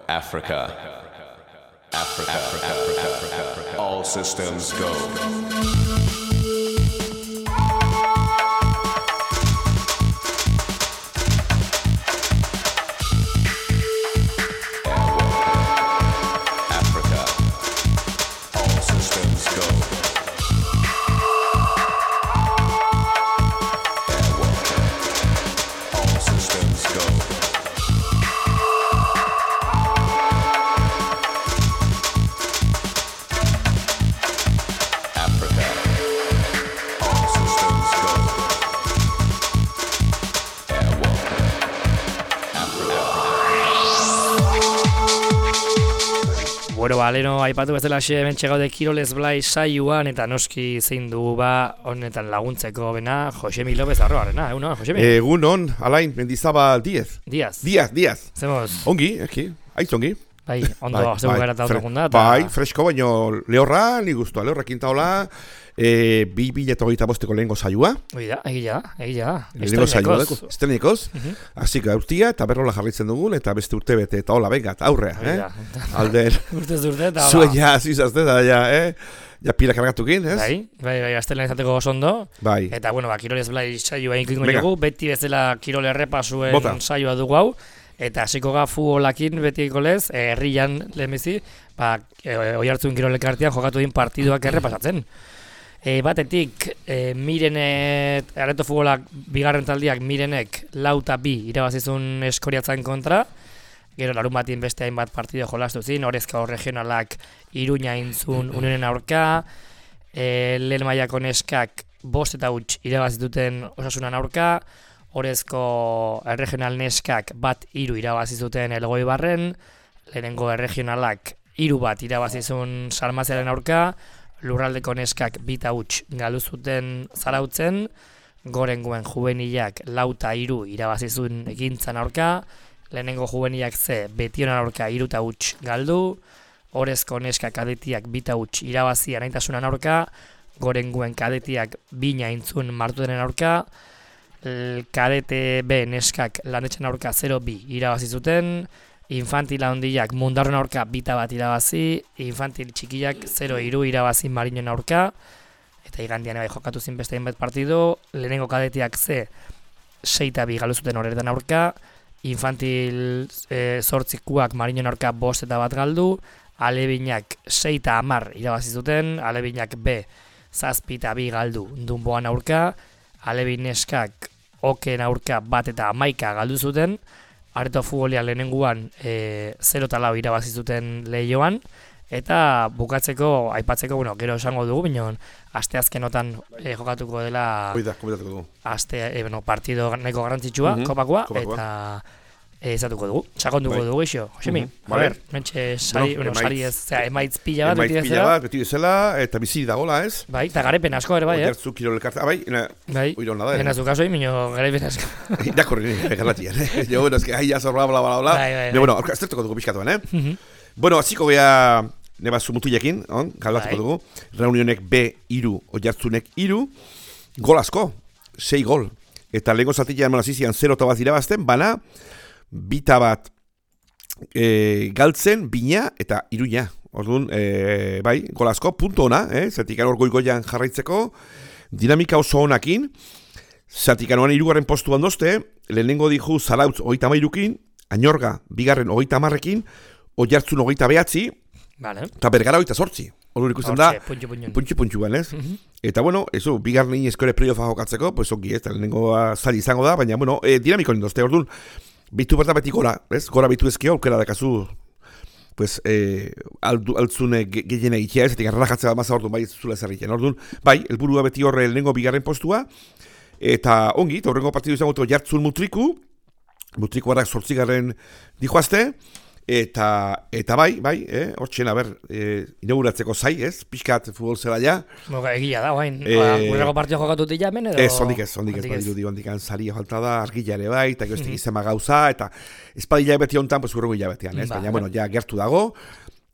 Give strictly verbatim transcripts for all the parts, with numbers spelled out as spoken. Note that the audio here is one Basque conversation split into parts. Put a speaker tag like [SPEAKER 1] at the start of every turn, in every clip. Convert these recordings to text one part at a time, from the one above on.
[SPEAKER 1] Africa. Africa. Africa. Africa. All systems go.
[SPEAKER 2] Bueno, ba, leno aipatu bezala xe hementxe gaude Kirolez Blai saioan eta noski zein dugu ba honetan laguntzeko bena Josemi López Arroarena, egun hon, Josemi?
[SPEAKER 3] Egun hon, Alain, Mendizabal Diez.
[SPEAKER 2] Diaz.
[SPEAKER 3] Diaz, Diaz.
[SPEAKER 2] Zemoz?
[SPEAKER 3] Ongi, eki, aiz ongi.
[SPEAKER 2] Bai, ondo, bai, zeu gara eta autokunda.
[SPEAKER 3] Bai, fresko, baino lehorra, ni guztua, lehorra kintaola, e, bi bila eta hogeita bosteko lehengo saioa.
[SPEAKER 2] Oida, egila da, egila da.
[SPEAKER 3] Lehengo saioa, estrenekoz. Hasik gaurtia, eta berrola jarritzen dugun, eta beste urte bete, eta hola, bengat, aurrea, eh? Alden.
[SPEAKER 2] Urtez urte, eta hola.
[SPEAKER 3] Zuen ja, zizazte, eta ja, eh? Ja pila kargatukin, ez?
[SPEAKER 2] Bai, bai, bai, aztelen izateko osondo.
[SPEAKER 3] Bai.
[SPEAKER 2] Eta, bueno, ba, Kirolez Blai saioa inkingo dugu, beti bezala Kirol errepasuen
[SPEAKER 3] Bota.
[SPEAKER 2] saioa dugu hau. Eta hasiko ga futbolakin betiko lez, herrian lehenbizi, ba, e, Oiartzun Kirolekartean jokatu din partiduak errepasatzen. E, batetik, e, Mirenet, Areto futbolak bigarren taldiak Mirenek lauta bi irabazizun Eskoriatzen kontra, gero larun batien beste hainbat partido jolastu zin, Orezko regionalak Iruña intzun Unionen aurka, e, lehen mailako neskak bost eta huts irabazituten Osasunan aurka, Orezko erregional neskak bat hiru irabazi zuten Elgoibarren, lehenengo erregionalak hiru bat irabazizun Salmaziaren aurka, lurraldeko neskak bita huts galdu zuten Zarautzen, gorengoen juvenilak lauta hiru irabazizun Ekintzan aurka, lehenengo juvenilak ze Betionan aurka hiruta huts galdu, Orezko neskak kadetiak bita huts irabazi Anaitasunan aurka, gorengoen kadetiak bina intzun Martutenen aurka, Kadete B neskak Landetxen aurka zero bi irabazi zuten, infantil handiak Mundarron aurka bita bat irabazi, infantil txikiak zero hiru irabazi Marinen aurka, eta igandian bai jokatu zin beste hainbat partido, lehenengo kadetiak ze seita bi galdu zuten horretan aurka, infantil e, zortzikuak Marinen aurka bost eta bat galdu, alebinak seita amar irabazi zuten, alebinak B zazpi eta bi galdu Dunboan aurka, Alebin neskak Oken aurka bat eta hamaika galdu zuten, Areto futbolia lehenenguan e, zero eta lau irabazi zuten lehioan, eta bukatzeko, aipatzeko, bueno, gero esango dugu, bineon, asteazkenotan e, jokatuko dela
[SPEAKER 3] Oida, komentatuko dugu.
[SPEAKER 2] Aste, e, bueno, partido nahiko garrantzitsua,
[SPEAKER 3] uh -huh.
[SPEAKER 2] kopakoa,
[SPEAKER 3] kopakoa,
[SPEAKER 2] eta e, ezatuko dugu, sakonduko
[SPEAKER 3] bai.
[SPEAKER 2] dugu eixo, Josemi, uh -huh. a ber, mentxe sari,
[SPEAKER 3] bueno,
[SPEAKER 2] bueno, sari ez, zera, emaitz pila bat,
[SPEAKER 3] emaitz pila bat, beti bezala, eta bizi dagoela, ez?
[SPEAKER 2] Bai, eta garepen asko ere bai, eh?
[SPEAKER 3] Oiartzun Kirolekartea, bai, ena,
[SPEAKER 2] bai,
[SPEAKER 3] oiron nada,
[SPEAKER 2] ena zukaso egin, minio garepen asko.
[SPEAKER 3] Irakorri nire, galatian, eh? Jo, bueno, es que ahí ya zorra, bla, bla, bla,
[SPEAKER 2] bai, bai,
[SPEAKER 3] bai. Bueno, aztertuko dugu pixkatuan, eh?
[SPEAKER 2] Uh -huh.
[SPEAKER 3] Bueno, hasiko gea, neba zumutilekin, on, galbatuko
[SPEAKER 2] bai.
[SPEAKER 3] dugu, Reunionek B hiru, Oiartzunek hiru, gol asko, sei gol, eta lehenko zatilean malazizian zero eta bat irabazten, bana, bita bat e, galtzen, bina eta iruña. Orduan, e, bai, gol asko, punto ona, eh? Zatik hor goigoian jarraitzeko, dinamika oso onakin, zatik anuan irugarren postu bandozte, lehenengo diju Zarautz hogeita mairukin, Añorga bigarren hogeita hamarrekin, Oiartzun hogeita behatzi,
[SPEAKER 2] vale.
[SPEAKER 3] Eta Bergara hogeita sortzi. Orduan ikusten da,
[SPEAKER 2] puntxu-puntxun.
[SPEAKER 3] puntxu-puntxuan, ez?
[SPEAKER 2] Uh -huh.
[SPEAKER 3] Eta, bueno, eso, bigarren eskore playofa jokatzeko, pues ongi, ez, lehenengo zari izango da, baina, bueno, e, dinamiko nindozte, orduan, bitu berta beti gora, ez? Gora bitu ezkio, aukera dakazu, pues, eh, altzune gehien egitea, ez, etik arrajatzea bat maza orduan, bai, ez zula zerriken. Orduan, bai, helburua beti horre lehenengo bigarren postua, eta ongi, eta horrengo partidu izango Oiartzun Mutriku, Mutriku barak zortzigarren dijoazte, Eta, eta bai, bai, eh, hortxen, haber, eh, inauguratzeko zai, ez, pixkat futbol zela ja.
[SPEAKER 2] Moga, egia da, bain,
[SPEAKER 3] eh,
[SPEAKER 2] gurreko partio jokatu dira hemen, edo?
[SPEAKER 3] Ez, ondik ez, ondik ez, badiru di, ondik anzari falta da, argila ere bai, eta goztik izema gauza, eta espadila beti hontan, pues gurrengo hilabetean, ez, ba, baina, bueno, ja gertu dago,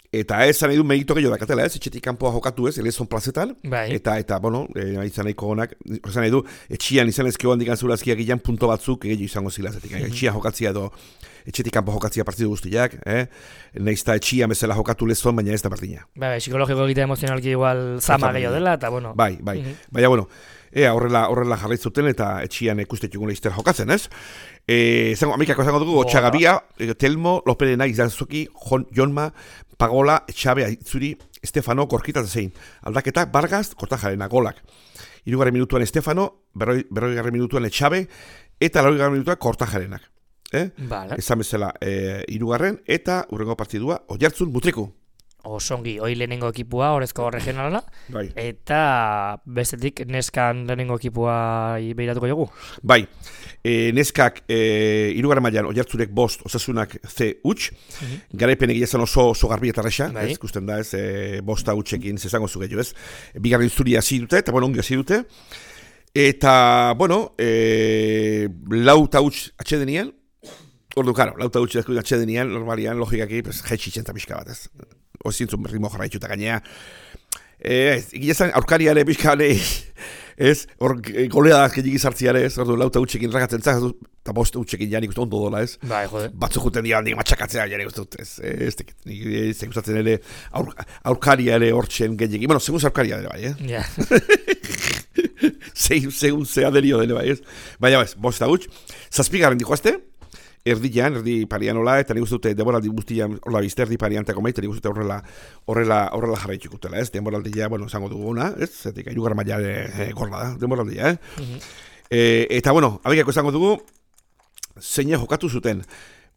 [SPEAKER 3] eta ez nahi du megito gehiago dakatela, ez, etxetik kanpoa jokatu ez, elezon plazetan,
[SPEAKER 2] bai.
[SPEAKER 3] eta, eta, bueno, e, izan nahiko honak, horrezan nahi du, etxian izan ezkio handik anzurazkia gilean punto batzuk gehiago izango zilazetik, mm -hmm. etxian jokatzia edo, etxetik kanpo jokatzia partidu guztiak, eh? Neizta etxia bezala jokatu lezon, baina ez da berdina.
[SPEAKER 2] Bai, psikologiko egitea emozionalki igual zama gehiago dela, eta bueno.
[SPEAKER 3] Bai, bai,
[SPEAKER 2] Mhm.
[SPEAKER 3] baina bueno, ea horrela, horrela jarraitzuten eta etxian ikustetukun leizter jokatzen, ez? E, zango, amikako zango dugu, Otxagabia, Telmo, Loperena, Izanzuki, Jon, Jonma, Pagola, Etxabe, Aitzuri, Estefano, Korkita zein. Aldaketak, Bargaz, Kortajarena, golak. Hirugarren minutuan Estefano, berroi, berroi minutuan Etxabe, eta laugarren minutuan Kortajarenak. Eh?
[SPEAKER 2] Vale.
[SPEAKER 3] Esan bezala, e, hirugarren, eta urrengo partidua, Oiartzun, Mutriku.
[SPEAKER 2] Osongi, hoi lehenengo ekipua, Orezko regionala,
[SPEAKER 3] Bai.
[SPEAKER 2] eta bestetik neskan lehenengo ekipua behiratuko jogu.
[SPEAKER 3] Bai, e, neskak e, irugarren mailan Oiartzurek bost, Osasunak C huts,
[SPEAKER 2] Mhm.
[SPEAKER 3] garaipen egia zen oso, oso garbi eta resa,
[SPEAKER 2] Bai.
[SPEAKER 3] ez, ikusten da, ez, e, bosta hutsekin zezango zu gehiago, ez. Bigarren zuri hasi dute, eta bueno, ongi hasi dute, eta, bueno, e, lau eta huts atxedenien, ordu, karo, lau eta huts atxedenien, normalian, logikaki, pues, jaitxitzen eta pixka bat, ez. Ozintzun ritmo jarraitxu eta gainea. E, ez, egia zen, aurkariare pixka ez, hor goleadak gehiagik sartziare, ez, ordu, lau eta hutsekin ragatzen zaz, eta bost hutsekin janik uste ondo dola, ez.
[SPEAKER 2] Bai, jode.
[SPEAKER 3] Batzu juten dira handik matxakatzea janik uste dut, ez, ez, ez, ez, gustatzen ere aur, aurkaria ere hortzen gehiagik. Bueno, segun aurkaria ere bai, eh?
[SPEAKER 2] Ja.
[SPEAKER 3] Segun zea derio dele bai, ez. Baina, ez, bost eta huts, zazpigarren dijoazte, erdian, erdi parianola, eta nik uste dute demoraldi guztian, horla bizte, erdi pariantako maite, nik uste dute horrela, horrela, horrela jarraitxukutela, ez, demoraldia, bueno, zango duguna, ez, zetik, irugar maila e, gorla da, demoraldia, eh?
[SPEAKER 2] Mhm.
[SPEAKER 3] E, eta, bueno, abekako zango dugu, zeina jokatu zuten.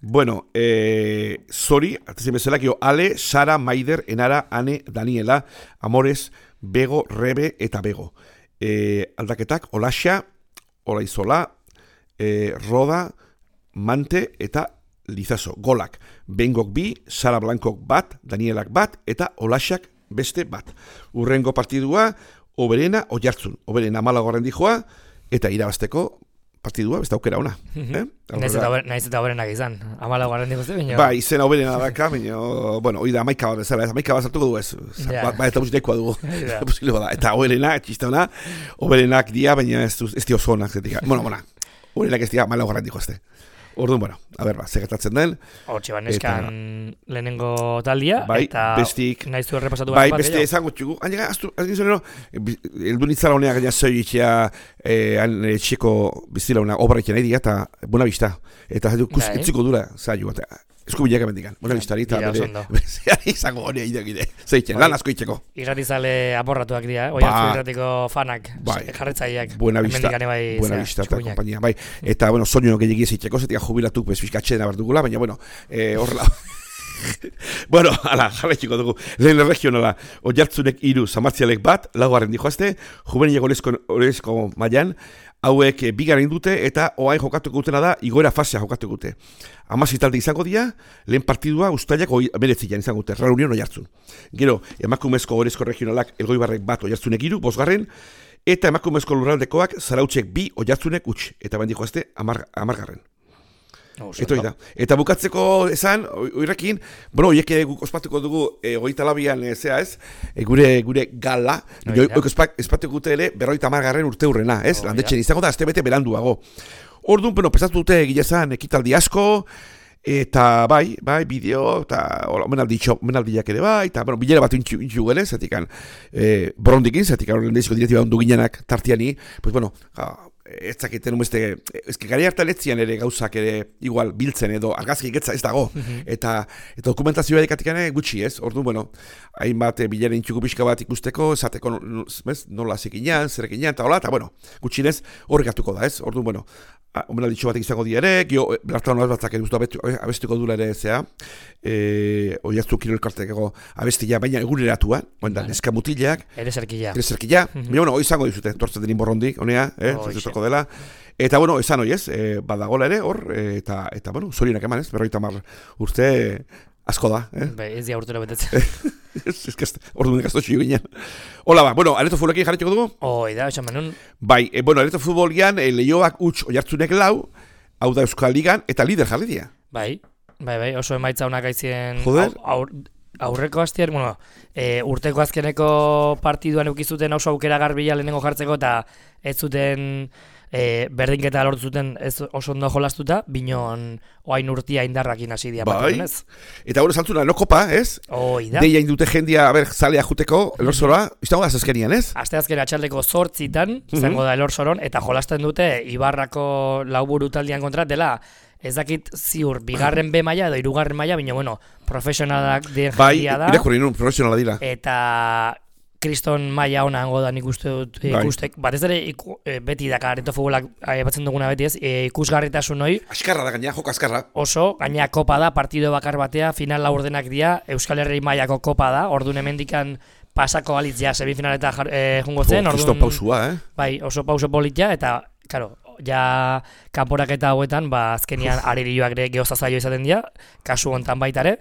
[SPEAKER 3] Bueno, e, zori, artezin bezalak, Ale, Sara, Maider, Enara, Ane, Daniela, Amores, Bego, Rebe eta Bego. E, aldaketak, Olaxa, Olaizola, e, Roda, Mante eta Lizaso, golak. Bengok bi, Sara Blankok bat, Danielak bat, eta Olaxak beste bat. Urrengo partidua, Oberena, Oiartzun. Oberena malagorren dijoa, eta irabazteko partidua, beste aukera ona. Eh?
[SPEAKER 2] Naiz eta ober- naiz eta oberenak izan. Amala garren dikuzte, baina...
[SPEAKER 3] Ba, izena Oberena daka, baina, bueno, hoi da amaika bat bezala, ez, amaika bat zartuko du ez.
[SPEAKER 2] Ja.
[SPEAKER 3] Ba, ba, eta musitekoa dugu.
[SPEAKER 2] Ja.
[SPEAKER 3] Posible bada. Eta Oberena, txista ona, Oberenak dia, baina ez, du- ez di oso onak, zetik. Bueno, bona, Oberenak ez dia malagorren dijo este. Orduan, bueno, a ber, ba, segertatzen den.
[SPEAKER 2] Hortxe, ba, neskan lehenengo taldia,
[SPEAKER 3] Bai,
[SPEAKER 2] eta
[SPEAKER 3] bestik-
[SPEAKER 2] nahiz du errepasatu
[SPEAKER 3] Bai,
[SPEAKER 2] bat
[SPEAKER 3] beste esango txugu. Hainega, aztu, aztu zonero, eldu nitzala honea gaina zoi itxea, eh, han etxeko biztila hona obra itxea nahi diga, eta buena bista. Eta zaitu, kus,
[SPEAKER 2] Bai.
[SPEAKER 3] etziko dura, zaitu, eta eskubileak emendikan. Buena bistari, eta
[SPEAKER 2] Dira,
[SPEAKER 3] bere,
[SPEAKER 2] oso ondo.
[SPEAKER 3] bere, izango honea idegide. Zeitzen,
[SPEAKER 2] Bai.
[SPEAKER 3] lan asko itxeko.
[SPEAKER 2] Irratizale aporratuak dira, eh? Oiartzu
[SPEAKER 3] Ba.
[SPEAKER 2] irratiko fanak,
[SPEAKER 3] Bai.
[SPEAKER 2] jarretzaileak.
[SPEAKER 3] Buena
[SPEAKER 2] Hemendik
[SPEAKER 3] vista,
[SPEAKER 2] ane bai,
[SPEAKER 3] buena
[SPEAKER 2] zera,
[SPEAKER 3] vista eta
[SPEAKER 2] txukuinak.
[SPEAKER 3] kompainia, bai. Eta, bueno, soño gehiagia zeitzeko, zetik jubilatuk, bez, fiskatxeen aberdugula, baina, bueno, eh, horrela. Bueno, ala, jarraitxiko dugu. Lehen regionala, Oiartzunek hiru, Zamartzialek bat, laugarren dijoazte, juvenilek orezko, orezko mailan, hauek e, bigarren dute eta oain jokatuko dutena da igoera fasea jokatuko dute. Hamasei talde izango dira, lehen partidua ustailak beretzian izango dute, Reunion Oiartzun. Gero, emakumezko orezko regionalak Elgoibarrek bat Oiartzunek hiru, bosgarren, eta emakumezko lurraldekoak Zarautzek bi Oiartzunek huts, eta bain dijoazte amar, amargarren. Eto da. Eta bukatzeko esan, oirrekin, bueno, oiek guk ospatuko dugu e, hogeita labian e, zea ez, e, gure gure gala, oik ospatuko dute ere berroita amargarren urte hurrena, ez? Oh, landetxen izango da, azte bete beranduago. Orduan, bueno, pesatu dute gilezan ekitaldi asko, eta bai, bai, bideo, eta omenaldiak ere bai, eta, bueno, bilera bat intxu, intxu gene, zetikan, e, borondikin, zetikan, horren deziko direktiba ondu ginenak tartiani, pues, bueno, ja, ez zakiten umeste, ezke gari hartan etzian ere gauzak ere igual biltzen edo argazki getza ez dago, mm-hmm. eta, eta dokumentazioa edikatikane gutxi ez, ordu, bueno, hainbat e, bilera intxuko pixka bat ikusteko, esateko nola zekinean, zerekinean, eta hola, eta bueno, gutxinez horrekatuko da ez, ordu, bueno, omenalditxo batek izango diare, gio, belartan hori batzak guztu abestuko dula ere zea, e, oiaztu kiro elkartekeko abestia, baina eguneratuan, oen da, neska mutilak,
[SPEAKER 2] ere zerkila,
[SPEAKER 3] ere zerkila, mm-hmm. baina, bueno, hoi izango dizute, tortzen denin borrondik, honea, eh, oh, dela, eta, bueno, esan hoi ez, e, badagola ere, hor, e, eta, eta, bueno, zorionak eman ez, berroita mar urte, asko da, eh?
[SPEAKER 2] Be, ez dia urtero betetzen.
[SPEAKER 3] Ez que ordu nik asto txio ginen. Hola ba, bueno, areto futbolekin jarretxeko dugu?
[SPEAKER 2] Hoi da, esan menun.
[SPEAKER 3] Bai, e, bueno, areto futbolian, e, lehioak huts Oiartzunek lau, hau da Euskal Ligan, eta lider jarri dira.
[SPEAKER 2] Bai, bai, bai, oso emaitza honak aizien
[SPEAKER 3] Joder.
[SPEAKER 2] Aur, aurreko aztier, bueno, e, urteko azkeneko partiduan eukizuten oso aukera garbila lehenengo jartzeko, eta ez zuten e, berdinketa lortu zuten ez oso ondo jolastuta, binon oain urtia indarrakin hasi dia bat
[SPEAKER 3] Bai.
[SPEAKER 2] ez.
[SPEAKER 3] Eta bueno, saltzuna, no kopa, ez?
[SPEAKER 2] Hoi da.
[SPEAKER 3] Deia indute jendia, a ber, zalea juteko, elorzora, izango da zazkenian, ez?
[SPEAKER 2] Asteazken atxaldeko zortzitan, izango da elorsoron, eta jolasten dute Ibarrako lauburu taldean kontra dela, ez dakit ziur, bigarren B maila edo hirugarren maila, baina bueno, profesionalak den
[SPEAKER 3] Bai,
[SPEAKER 2] jendia da.
[SPEAKER 3] irakurri nun, profesionala dira.
[SPEAKER 2] Eta kriston maila ona hango da nik uste dut
[SPEAKER 3] Bai.
[SPEAKER 2] ikustek. Batez ere iku, e, beti da kareto futbolak aipatzen duguna beti ez, e, ikusgarritasun hori
[SPEAKER 3] Askarra da gaina, joko askarra.
[SPEAKER 2] oso, gaina kopa da, partido bakar batea, final laurdenak dira, Euskal Herri mailako kopa da, orduan hemendikan pasako alitz ja semifinaleta jar, e, jungo zen,
[SPEAKER 3] Kristo
[SPEAKER 2] orduan,
[SPEAKER 3] pausua, eh?
[SPEAKER 2] bai, oso pauso politia, eta, karo, ja kanporaketa hauetan, ba, azkenian aririoak ere geozazaio izaten dira, kasu hontan baita ere,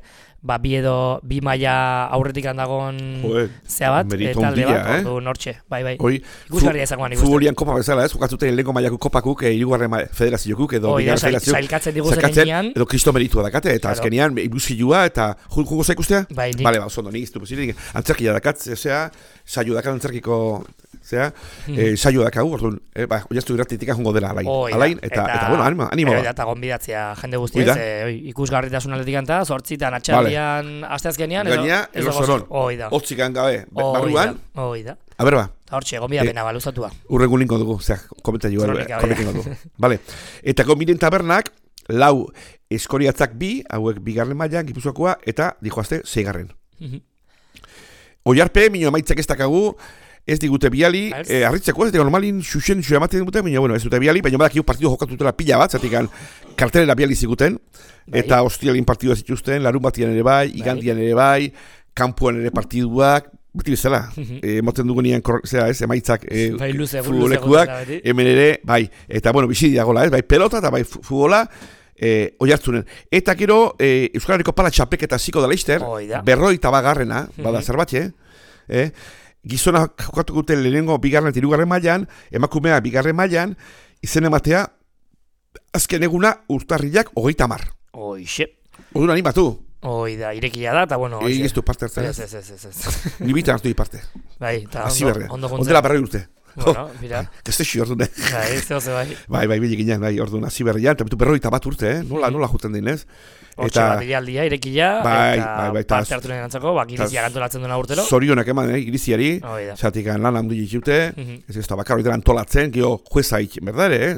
[SPEAKER 2] ba, bi edo, bi maila aurretik handagon
[SPEAKER 3] Joder,
[SPEAKER 2] zea bat,
[SPEAKER 3] merito
[SPEAKER 2] talde
[SPEAKER 3] handia,
[SPEAKER 2] bat,
[SPEAKER 3] eh?
[SPEAKER 2] ordu nortxe, bai, bai.
[SPEAKER 3] Hoi,
[SPEAKER 2] Ikusgarria izango nik uste.
[SPEAKER 3] futbolian kopa bezala, ez? Jokatzuten lehenko mailako kopakuk, e, hirugarren ma- federaziokuk, edo
[SPEAKER 2] Hoi da,
[SPEAKER 3] bigarren
[SPEAKER 2] sail-
[SPEAKER 3] federaziok.
[SPEAKER 2] sailkatzen diguzen
[SPEAKER 3] sailkatzen,
[SPEAKER 2] heinean.
[SPEAKER 3] edo kristo meritua dakate, eta
[SPEAKER 2] Claro.
[SPEAKER 3] azkenean, ibusilua, eta ju- jugo zaikustea?
[SPEAKER 2] Bai, nik-
[SPEAKER 3] Bale, ba, oso ondo, nik iztu posirik, antzerkia dakat, zea, saio dakat antzerkiko, zea, eh, saio dakagu, orduan, eh, ba, oiaztu irratitik jungo dela alain,
[SPEAKER 2] Hoi da,
[SPEAKER 3] alain, eta, eta, bueno, animo, animo
[SPEAKER 2] Hoi
[SPEAKER 3] ba.
[SPEAKER 2] da, eta gonbidatzea jende
[SPEAKER 3] Hoi
[SPEAKER 2] guztiez,
[SPEAKER 3] da.
[SPEAKER 2] e, oi, ikusgarritasun aldetik anta, zortzitan atxaldian, asteazkenean, edo,
[SPEAKER 3] Gaina,
[SPEAKER 2] edo
[SPEAKER 3] elosoron,
[SPEAKER 2] gozo- hoi da.
[SPEAKER 3] hotzikan gabe,
[SPEAKER 2] Hoi da,
[SPEAKER 3] barruan,
[SPEAKER 2] hoi da.
[SPEAKER 3] a ber ba,
[SPEAKER 2] Eta hortxe, gonbidapena, ba, luzatua.
[SPEAKER 3] urrengo linko dugu, zera, komentari
[SPEAKER 2] Kronika,
[SPEAKER 3] komentingo dugu. Vale. Eta gombiden tabernak, lau eskoriatzak bi, hauek bigarren mailan, Gipuzkoakoa, eta dijoazte, seigarren.
[SPEAKER 2] Mhm.
[SPEAKER 3] Oiarpe, minio emaitzak ez dakagu, ez digute biali,
[SPEAKER 2] Ez.
[SPEAKER 3] eh, arritzeko ez digo normalin xuxen xu ematen dute, baina bueno, ez dute biali, baina badakigu partidu jokatutela pila bat, zatik kartelera biali ziguten,
[SPEAKER 2] Bai.
[SPEAKER 3] eta ostialin partidua zituzten, larun batian ere bai, igandian ere bai, kanpoan ere partiduak, beti bezala, eh, moten dugunean, zera ez, emaitzak eh,
[SPEAKER 2] Bai, luze, luze
[SPEAKER 3] futbolekuak,
[SPEAKER 2] gozera beti.
[SPEAKER 3] hemen ere, bai, eta bueno, bizi diagola, ez, bai, pelota eta bai fu- futbola, eh, oihartzunen. Eta gero, eh, Euskal Herriko pala txapeketa ziko da Leister,
[SPEAKER 2] Hoi da.
[SPEAKER 3] berroi eta bagarrena, bada zerbatxe, eh? Gizona jokatu guten lehenengo bigarren eta hirugarren mailan, emakumea bigarren mailan, izen ematea, azken eguna urtarrilak hogeita hamar.
[SPEAKER 2] Hoixe,
[SPEAKER 3] Orduan animatu,
[SPEAKER 2] hoi da, irekia da, eta bueno,
[SPEAKER 3] egin ez du parte hartzen,
[SPEAKER 2] Ez,
[SPEAKER 3] ez?
[SPEAKER 2] ez, ez, ez, ez.
[SPEAKER 3] Ni bitan hartu di parte.
[SPEAKER 2] Bai, eta
[SPEAKER 3] Hasi
[SPEAKER 2] ondo,
[SPEAKER 3] berre.
[SPEAKER 2] ondo
[SPEAKER 3] Ondela
[SPEAKER 2] juntzen.
[SPEAKER 3] berroi urte.
[SPEAKER 2] Bueno, mira,
[SPEAKER 3] Gaztexi orduan, eh?
[SPEAKER 2] bai, zeo ze bai.
[SPEAKER 3] Bai, bai, bilik ginen, bai, orduan, hasi berrian, eta bitu berroi eta bat urte, eh? Nola, nola juten dinez?
[SPEAKER 2] Hortxe bat aldia, irekia,
[SPEAKER 3] Bai,
[SPEAKER 2] eta
[SPEAKER 3] bai, bai, eta-
[SPEAKER 2] parte hartu nenantzako, ba, girizia gantolatzen duna urtero.
[SPEAKER 3] Zorionak eman, eh, iriziari,
[SPEAKER 2] Hoi da.
[SPEAKER 3] zatik lan handu ditute,
[SPEAKER 2] Mhm.
[SPEAKER 3] ez ez da bakar hori antolatzen, geho juezaik, berdare, eh?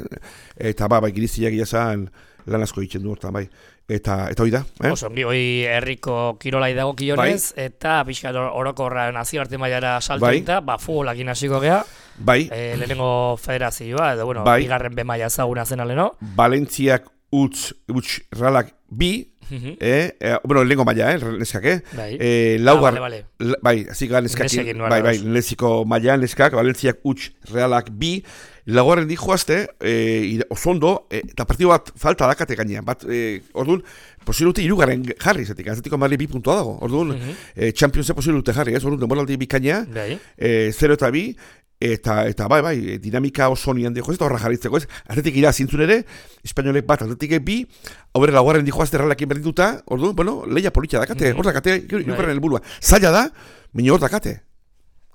[SPEAKER 3] Eta ba, bai, iriziak iazan lan asko egiten du hortan, bai. Eta, eta hoi da, eh?
[SPEAKER 2] Oso, ongi, hoi herriko kirolai dago kionez, eta pixka orokorra nazioarte mailara salto
[SPEAKER 3] Bai.
[SPEAKER 2] eta, ba, futbolakin hasiko gea,
[SPEAKER 3] Bai,
[SPEAKER 2] e, lehenengo federazioa, edo, bueno,
[SPEAKER 3] Bai.
[SPEAKER 2] bigarren be maila ezaguna zen aleno.
[SPEAKER 3] Valentziak utz, utz, ralak bi,
[SPEAKER 2] Mhm.
[SPEAKER 3] eh? eh bueno, lehenko maila, eh? Neskak, eh?
[SPEAKER 2] Bai.
[SPEAKER 3] Eh,
[SPEAKER 2] Ah,
[SPEAKER 3] laugar,
[SPEAKER 2] bale, bale.
[SPEAKER 3] la- bai, azik gara neskakin,
[SPEAKER 2] Nesekin, nola
[SPEAKER 3] bai, bai,
[SPEAKER 2] dos.
[SPEAKER 3] leziko maila, neskak, Valentziak utz, realak bi, laugarren di joazte, eh, oso ondo, eh, eta partidu bat falta dakate gainean, bat, eh, orduan, posibilute irugarren jarri, zetik, azatiko marri bi puntua dago, orduan,
[SPEAKER 2] Mhm.
[SPEAKER 3] eh, Championse posibilute jarri, ez, orduan, demoraldi bikaina,
[SPEAKER 2] Bai.
[SPEAKER 3] eh, zero eta bi, eta, eta bai, bai, dinamika oso nian dijo, ez da horra jarritzeko, ez, atletik ira zintzun ere, espainolek bat, atletik bi, hau bere laugarren di joazte erralakin berdinduta, orduan, bueno, leia politia dakate, hor dakate, irugarren helburua, zaila da, baina hor dakate.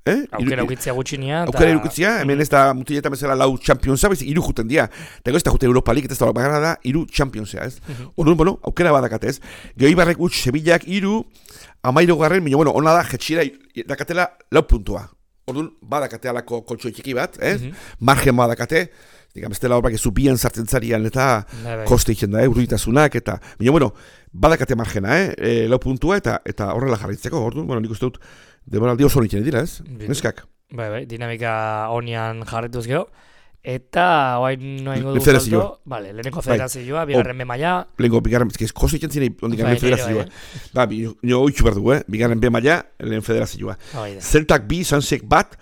[SPEAKER 3] Eh?
[SPEAKER 2] Aukera ukitzia gutxinia.
[SPEAKER 3] Aukera irukitzia, hemen ez da mutiletan bezala lau Championsa, bez iru juten dira. Eta ez da jute Europa League, eta ez da bagarra da iru Championsa, ez? Orduan, bueno, aukera badakate, ez? Gero Ibarrek utx, Sevillak iru, amairu garren, baina, bueno, ona da, jetxira dakatela lau puntua. Orduan, badakate alako koltsoi txiki bat, ez? Margen badakate, digam, ez dela horbak zubian sartzen zarian, eta
[SPEAKER 2] Bai, bai.
[SPEAKER 3] koste egiten da, eh? Urritasunak, eta, baina, bueno, badakate margena, eh? E, lau puntua, eta eta horrela jarraitzeko, orduan, bueno, nik uste dut, demoraldi oso nintzen dira, ez?
[SPEAKER 2] Bitu.
[SPEAKER 3] Neskak.
[SPEAKER 2] Bai, bai, dinamika honian jarretuz geho. Eta, oain noa ingo
[SPEAKER 3] Le-
[SPEAKER 2] dugu
[SPEAKER 3] federazioa.
[SPEAKER 2] salto. Vale, lehenengo federazioa, bigarren be maila.
[SPEAKER 3] Lehenko, bigarren, ez kosto egiten zinei, ondik
[SPEAKER 2] Bai,
[SPEAKER 3] lehen
[SPEAKER 2] nire
[SPEAKER 3] federazioa.
[SPEAKER 2] bai,
[SPEAKER 3] Ba, bi, nio oitxu behar dugu, eh? Bigarren B maila, lehen federazioa.
[SPEAKER 2] Hoi da.
[SPEAKER 3] Zeltak bi, Sansek bat,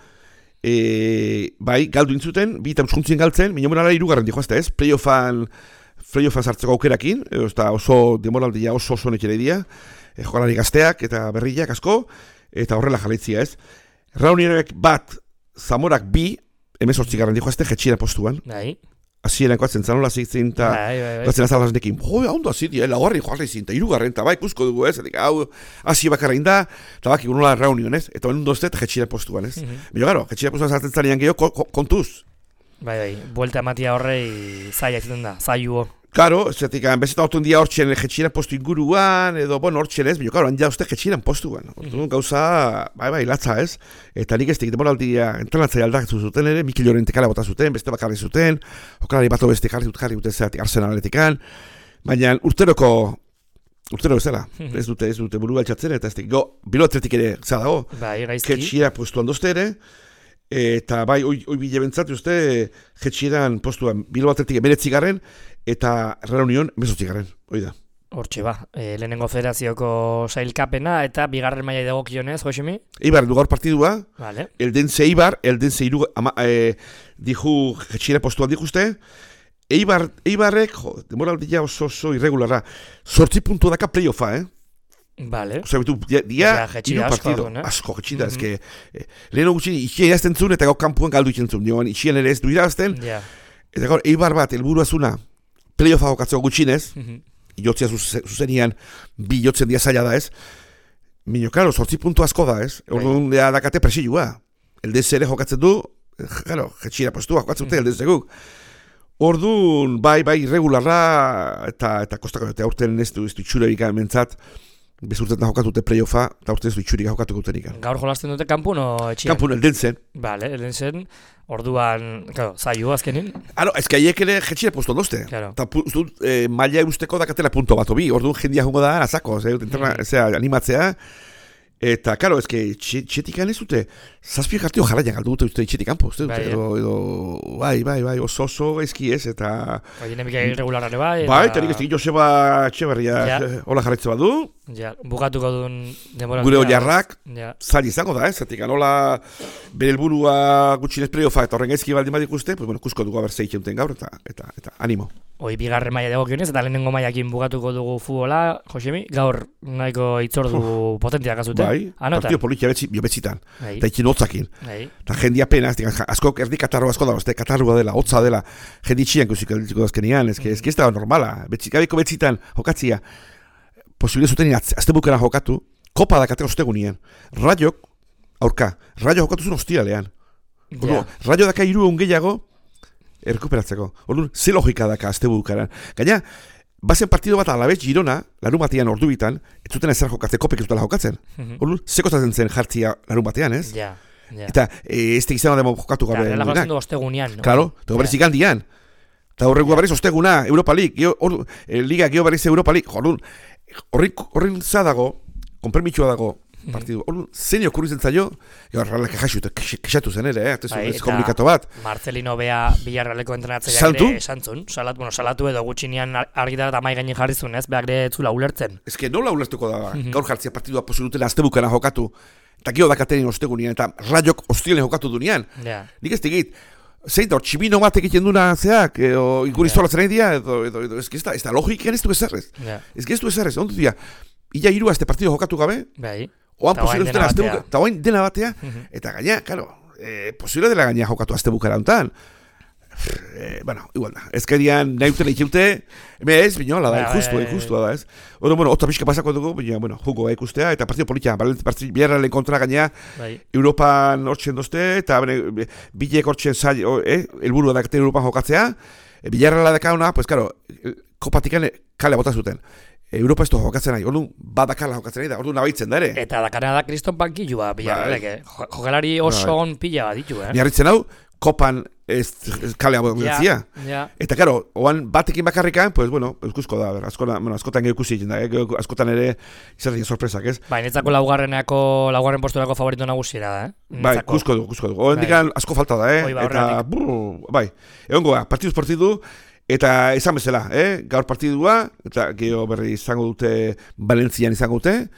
[SPEAKER 3] e, bai, galdu intzuten, bi eta euskuntzien galtzen, minio monara irugarren dihoazte, ez? Playoffan, playoffan sartzeko aukerakin, e, osta oso demoraldia oso oso nekere dira, e, jokalari gazteak eta berriak asko, eta horrela jarraitzia, ez? Raunierek bat, Zamorak bi, emezortzigarren dihoazte, jetxiera postuan,
[SPEAKER 2] Bai,
[SPEAKER 3] hasieranko atzen zanola zitzen, eta
[SPEAKER 2] bai, bai, bai.
[SPEAKER 3] gatzen azalaznekin, jo, ondo aziti, eh, laugarri joarri zin, eta irugarren, eta bai, ikusko dugu, ez, edik, hau, hasi bakarra inda, eta baki gunola reunion, ez, eta ondo ez, jetxira postuan, ez.
[SPEAKER 2] Mhm.
[SPEAKER 3] Bilo, garo, jetxira postuan sartzen zanean gehiago, ko, ko, kontuz,
[SPEAKER 2] Bai, bai, buelta ematia horrei zaila izaten da, zailuo.
[SPEAKER 3] Claro, zetik, bezeta ortun dia hortxen jetxiran postu inguruan, edo, bueno, hortxen ez, bilo, claro, handia uste jetxiran postuan. Orduan gauza, bai, bai, latza ez. Eta nik ez tekit demoraldia, entrenatzaia aldakatu zuten ere, Mikel Llorentekala bota zuten, beste bakarri zuten, jokalari bato beste jarri dut jarri dute zeatik Arsenaletikan, baina urteroko, urtero bezala, ez dute, ez dute buru altxatzen, eta ez tekit, go, bilo atletik ere, zera dago,
[SPEAKER 2] bai, gaizki.
[SPEAKER 3] Jetxira postuan dozte ere, eta bai, oi, oi bile bentzatu uste, jetxiran postuan, bilo atletik emeretzi garen, eta Reunion mezotzi garen, hoi da.
[SPEAKER 2] Hortxe ba, e, lehenengo federazioko sailkapena eta bigarren mailai dagokionez, Josemi?
[SPEAKER 3] Eibar du gaur partidua,
[SPEAKER 2] vale.
[SPEAKER 3] Eldense Eibar, Eldense iru, ama, e, diju jetxira postuan dikuste, Eibar, Eibarrek, jo, demoraldia oso oso irregularra, sortzi puntu daka playoffa, eh?
[SPEAKER 2] Vale.
[SPEAKER 3] Osa, bitu, dia, dia iru partido,
[SPEAKER 2] eh?
[SPEAKER 3] asko jetxida, mm -hmm. ezke, eh, leheno gutxin, itxien irazten zuen, eta gau kanpuan galdu itxen zuen, joan, itxien ere ez du irazten,
[SPEAKER 2] yeah.
[SPEAKER 3] Eta gaur, Eibar bat, elburua zuna, playoffa jokatzeko gutxinez,
[SPEAKER 2] Mm -hmm.
[SPEAKER 3] jotzia zuzenian, bi jotzen dia zaila da ez, minio, klaro, sortzi puntu asko da ez, orduan da dakate presilua, Eldense ere jokatzen du, klaro, jetxira postua jokatzen dute, Eldense guk. Orduan, bai, bai, irregularra, eta, eta kostako, eta aurten ez du, ez du itxure bika mentzat, bezurtetan jokatute playoffa, eta aurten ez du itxurik jokatuko dutenik.
[SPEAKER 2] Gaur jolasten dute kanpun o etxian?
[SPEAKER 3] Kanpun, Eldensen.
[SPEAKER 2] Vale, Eldensen, orduan, claro, zailu azkenin.
[SPEAKER 3] Aro, ez que haiek ere jetxira postu ondozte.
[SPEAKER 2] Claro.
[SPEAKER 3] Eta eh, maila usteko dakatela punto bat, obi, orduan jendia jungo da, azako, mm. animatzea. Eta, karo, ez que txetikan ez dute, zazpio jartio jarraian galdu dute uste txetik kanpo, uste dute,
[SPEAKER 2] bai,
[SPEAKER 3] edo, edo, bai, bai, bai, oso oso gaizki ez, eta...
[SPEAKER 2] Bai, nemika irregularare bai,
[SPEAKER 3] eta... Bai, eta nik ez dut Joseba Etxeberria ja. Hola jarraitze badu.
[SPEAKER 2] Ja, bukatuko duen demora.
[SPEAKER 3] Gure oiarrak,
[SPEAKER 2] ja. Zail
[SPEAKER 3] izango da, ez, zatik, anola bere helburua gutxinez playoffa eta horren gaizki baldin badik uste, pues, bueno, kusko dugu haber zeitzen gaur, eta, eta, eta, animo.
[SPEAKER 2] Hoi bigarren maila dagokionez eta lehenengo mailakin bukatuko dugu futbola, Josemi, gaur nahiko itzordu potentiak azute.
[SPEAKER 3] Bai,
[SPEAKER 2] Anota.
[SPEAKER 3] Partido politia betzi, biobetzitan,
[SPEAKER 2] Bai.
[SPEAKER 3] eta ikin hotzakin.
[SPEAKER 2] Bai.
[SPEAKER 3] Eta jendia pena, asko erdi katarro asko da, este katarroa dela, hotza dela, jendi txian guziko dazkenian, ez que ez da normala, betzik, betzitan jokatzia, posible zuten azte bukera jokatu, kopa dakate ostegunien, Rayok, aurka, Rayo jokatu zuen ostialean. Yeah. Rayo daka hiru egun gehiago, errekuperatzeko. Orduan, ze logika daka azte bukaran. Gaina, bazen partido bat alabez Girona, larun batean ordu bitan, ez zuten ezer jokatzen, kopek ez dutela jokatzen. Orduan, ze kostatzen zen jartzia larun batean, ez?
[SPEAKER 2] Ja, ja.
[SPEAKER 3] Eta, e, ez tegizena demo jokatu gabe.
[SPEAKER 2] Ja, jokatzen du ostegunean. No?
[SPEAKER 3] Claro, eta berriz igandian. Eta horrengo berriz osteguna, Europa League, geo, or, eh, Liga geo berriz Europa League. Orduan, horren zadago, konpermitxua dago, partidu. Orduan, zein okurritzen zaio, Realak kexatu zen ere, eh? Bai, ez komunikato bat.
[SPEAKER 2] Marcelino Bea Villarrealeko entrenatzaileak ere esantzun, salatu, bueno, salatu edo gutxinean argitara eta mai gainin jarri zuen, ez? Beak ere etzula ulertzen.
[SPEAKER 3] Ez que nola ulertuko da, gaur jartzia partidua posibilutela azte bukana jokatu, eta gero dakatenin ostegunian, eta Rayok ostilen jokatu dunean.
[SPEAKER 2] Yeah.
[SPEAKER 3] Nik ez tegit, zein da, txibino bat egiten duna zeak, edo ikuri yeah. Zolatzen nahi dia, edo, edo, edo, ez que ez da, ez da logikan ez du ezerrez. Yeah. Ez que ez du ezerrez, ondu dira, ila hiru azte partidu jokatu gabe,
[SPEAKER 2] bai.
[SPEAKER 3] Oan posible dutela azte bukara, eta oain dena batea, eta gaina, karo, eh, posible dela gaina jokatu azte bukara hontan. Eh, bueno, igual da, ezkerian nahi utela ikute, eme ez, binola da, injustua, injustua da, ez. Odo, bueno, otza pixka pasako dugu, baina, bueno, jugo ikustea, eta partido politia, biarralen kontra gaina, Europan hortzen dozte, eta bine, bilek hortzen zail, eh, elburua dakate Europan jokatzea, biarrala dakauna, pues, karo, kopatikan kale bota zuten. Europa ez du jokatzen nahi, orduan badakala jokatzen nahi da, orduan nabaitzen da ere.
[SPEAKER 2] Eta dakana da kriston bankilua Villarrealek, eh? Jokalari oso on pila bat ditu, eh?
[SPEAKER 3] Miarritzen hau, kopan ez, ez kalea botzia.
[SPEAKER 2] Ja, ja.
[SPEAKER 3] Eta karo, oan batekin bakarrikan, pues bueno, euskuzko da, ber, askotan, bueno, askotan geho ikusi egin da, eh? Askotan ere izatea sorpresak, ez?
[SPEAKER 2] Bai, netzako laugarrenako, laugarren posturako favorito nagusiera da, eh?
[SPEAKER 3] Bai, ikusko du, ikusko du. Oen dikan asko falta da, eh?
[SPEAKER 2] Ba,
[SPEAKER 3] eta, brr, bai, egon goa, partiduz partidu, eta esan bezala, eh? Gaur partidua, eta geho berri izango dute, Valentzian izango dute,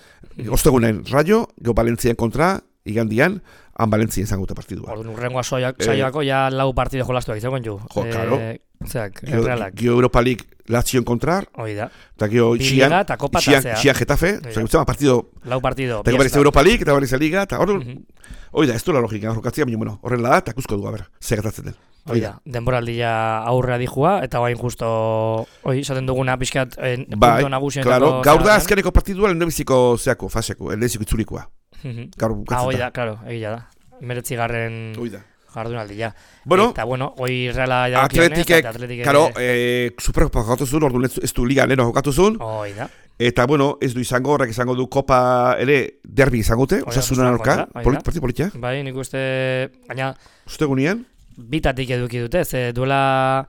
[SPEAKER 3] ostegunen Rayo, geho Valentzian kontra, igandian, han Valentzian izango dute partidua.
[SPEAKER 2] Orduan, urrengoa saioako, eh, ja lau partido jolastuak izango ju.
[SPEAKER 3] Jo, karo.
[SPEAKER 2] Eh, zeak, Realak.
[SPEAKER 3] Geho Europa League Lazioen kontrar,
[SPEAKER 2] hoi da.
[SPEAKER 3] Eta geho Itxian, Itxian Getafe, oza, partido,
[SPEAKER 2] lau partido.
[SPEAKER 3] eta berriz Europa League, eta berriz Liga, eta orduan, hoi da, ez du la logika, horkatzia, baina, bueno, horren da, eta kusko du, a ber, ze gatatzen den.
[SPEAKER 2] Oida, denboraldia aurrea dijua, eta bain justo, oi, esaten duguna pixkat eh,
[SPEAKER 3] bai,
[SPEAKER 2] punto nagusienetako...
[SPEAKER 3] Claro, gaur da azkeneko partidua lehendabiziko zeako, faseko, lehendabiziko itzulikoa.
[SPEAKER 2] Uh -huh.
[SPEAKER 3] Gaur bukatzen
[SPEAKER 2] ah, oida, claro, egia da. Meretzi garren jardunaldia.
[SPEAKER 3] Bueno,
[SPEAKER 2] eta bueno, hoi Reala dagokionez,
[SPEAKER 3] Atletikek,
[SPEAKER 2] eta Atletikek
[SPEAKER 3] karo, eh, Superkopa jokatu zuen, orduan ez, ez du liga leheno jokatu zuen,
[SPEAKER 2] hoi da.
[SPEAKER 3] eta bueno, ez du izango, horrek izango du Kopa ere derbi izango dute, osasunan aurka, partid politia.
[SPEAKER 2] Bai, nik uste, gaina,
[SPEAKER 3] Uste gunean?
[SPEAKER 2] bitatik eduki dute, ze duela,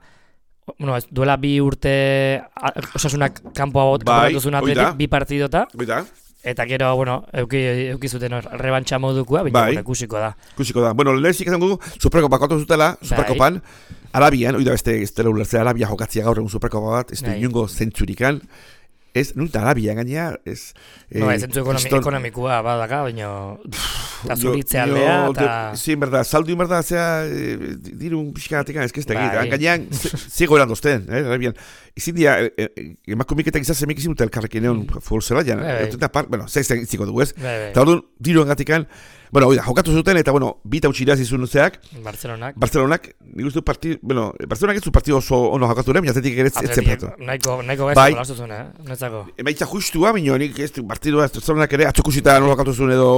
[SPEAKER 2] bueno, ez, duela bi urte a, osasunak kanpoa
[SPEAKER 3] bai,
[SPEAKER 2] botatu zuen Atletik, bi partidota,
[SPEAKER 3] Oida.
[SPEAKER 2] eta gero, bueno, euki, euki zuten hor, rebantxa modukua, baina
[SPEAKER 3] Bai.
[SPEAKER 2] bueno, ikusiko da.
[SPEAKER 3] Ikusiko da. Bueno, lehenik izango du, Superkopa jokatu zutela, Superkopan, Arabian, oida beste, ez dela ulertzea, Arabia jokatzia gaur egun Superkopa bat, ez du
[SPEAKER 2] Bai.
[SPEAKER 3] inungo zentzurikan, ez, nunta Arabia gainea, ez...
[SPEAKER 2] No, ez zentzu ekonomi,
[SPEAKER 3] kriston-
[SPEAKER 2] ekonomikoa badaka, baina eta
[SPEAKER 3] Jo-
[SPEAKER 2] zuritze
[SPEAKER 3] jo,
[SPEAKER 2] aldea,
[SPEAKER 3] de-
[SPEAKER 2] eta...
[SPEAKER 3] Sí, en verdad, saldu en verdad, zera, eh, dirun pixkanatik, ez que ez da
[SPEAKER 2] Bai.
[SPEAKER 3] egit, gainean, zigo eran dozten, eh, Arabian. Izin dia, eh, eh, emakumiketak izan zemik izin dute elkarrekin egon futbol zelaian,
[SPEAKER 2] Bai, bai.
[SPEAKER 3] eta par, bueno, zeiz ziko dugu ez,
[SPEAKER 2] Bai, bai.
[SPEAKER 3] eta orduan, diru engatikan, bueno, oida, jokatu zuten, eta bueno, bita utxiraz izun zeak,
[SPEAKER 2] Barcelonak.
[SPEAKER 3] Barcelonak, nik uste du partidu, bueno, Barcelonak ez du partidu oso ono jokatu ere, baina Atletik ere ez zen
[SPEAKER 2] Atletik,
[SPEAKER 3] partidu.
[SPEAKER 2] nahiko, nahiko
[SPEAKER 3] Bai.
[SPEAKER 2] gaizko lastu zuen, eh? Netzako.
[SPEAKER 3] Emaitza justua, baina nik ez du partidua, ez Barcelonak ere atzokusita nola jokatu zuen edo,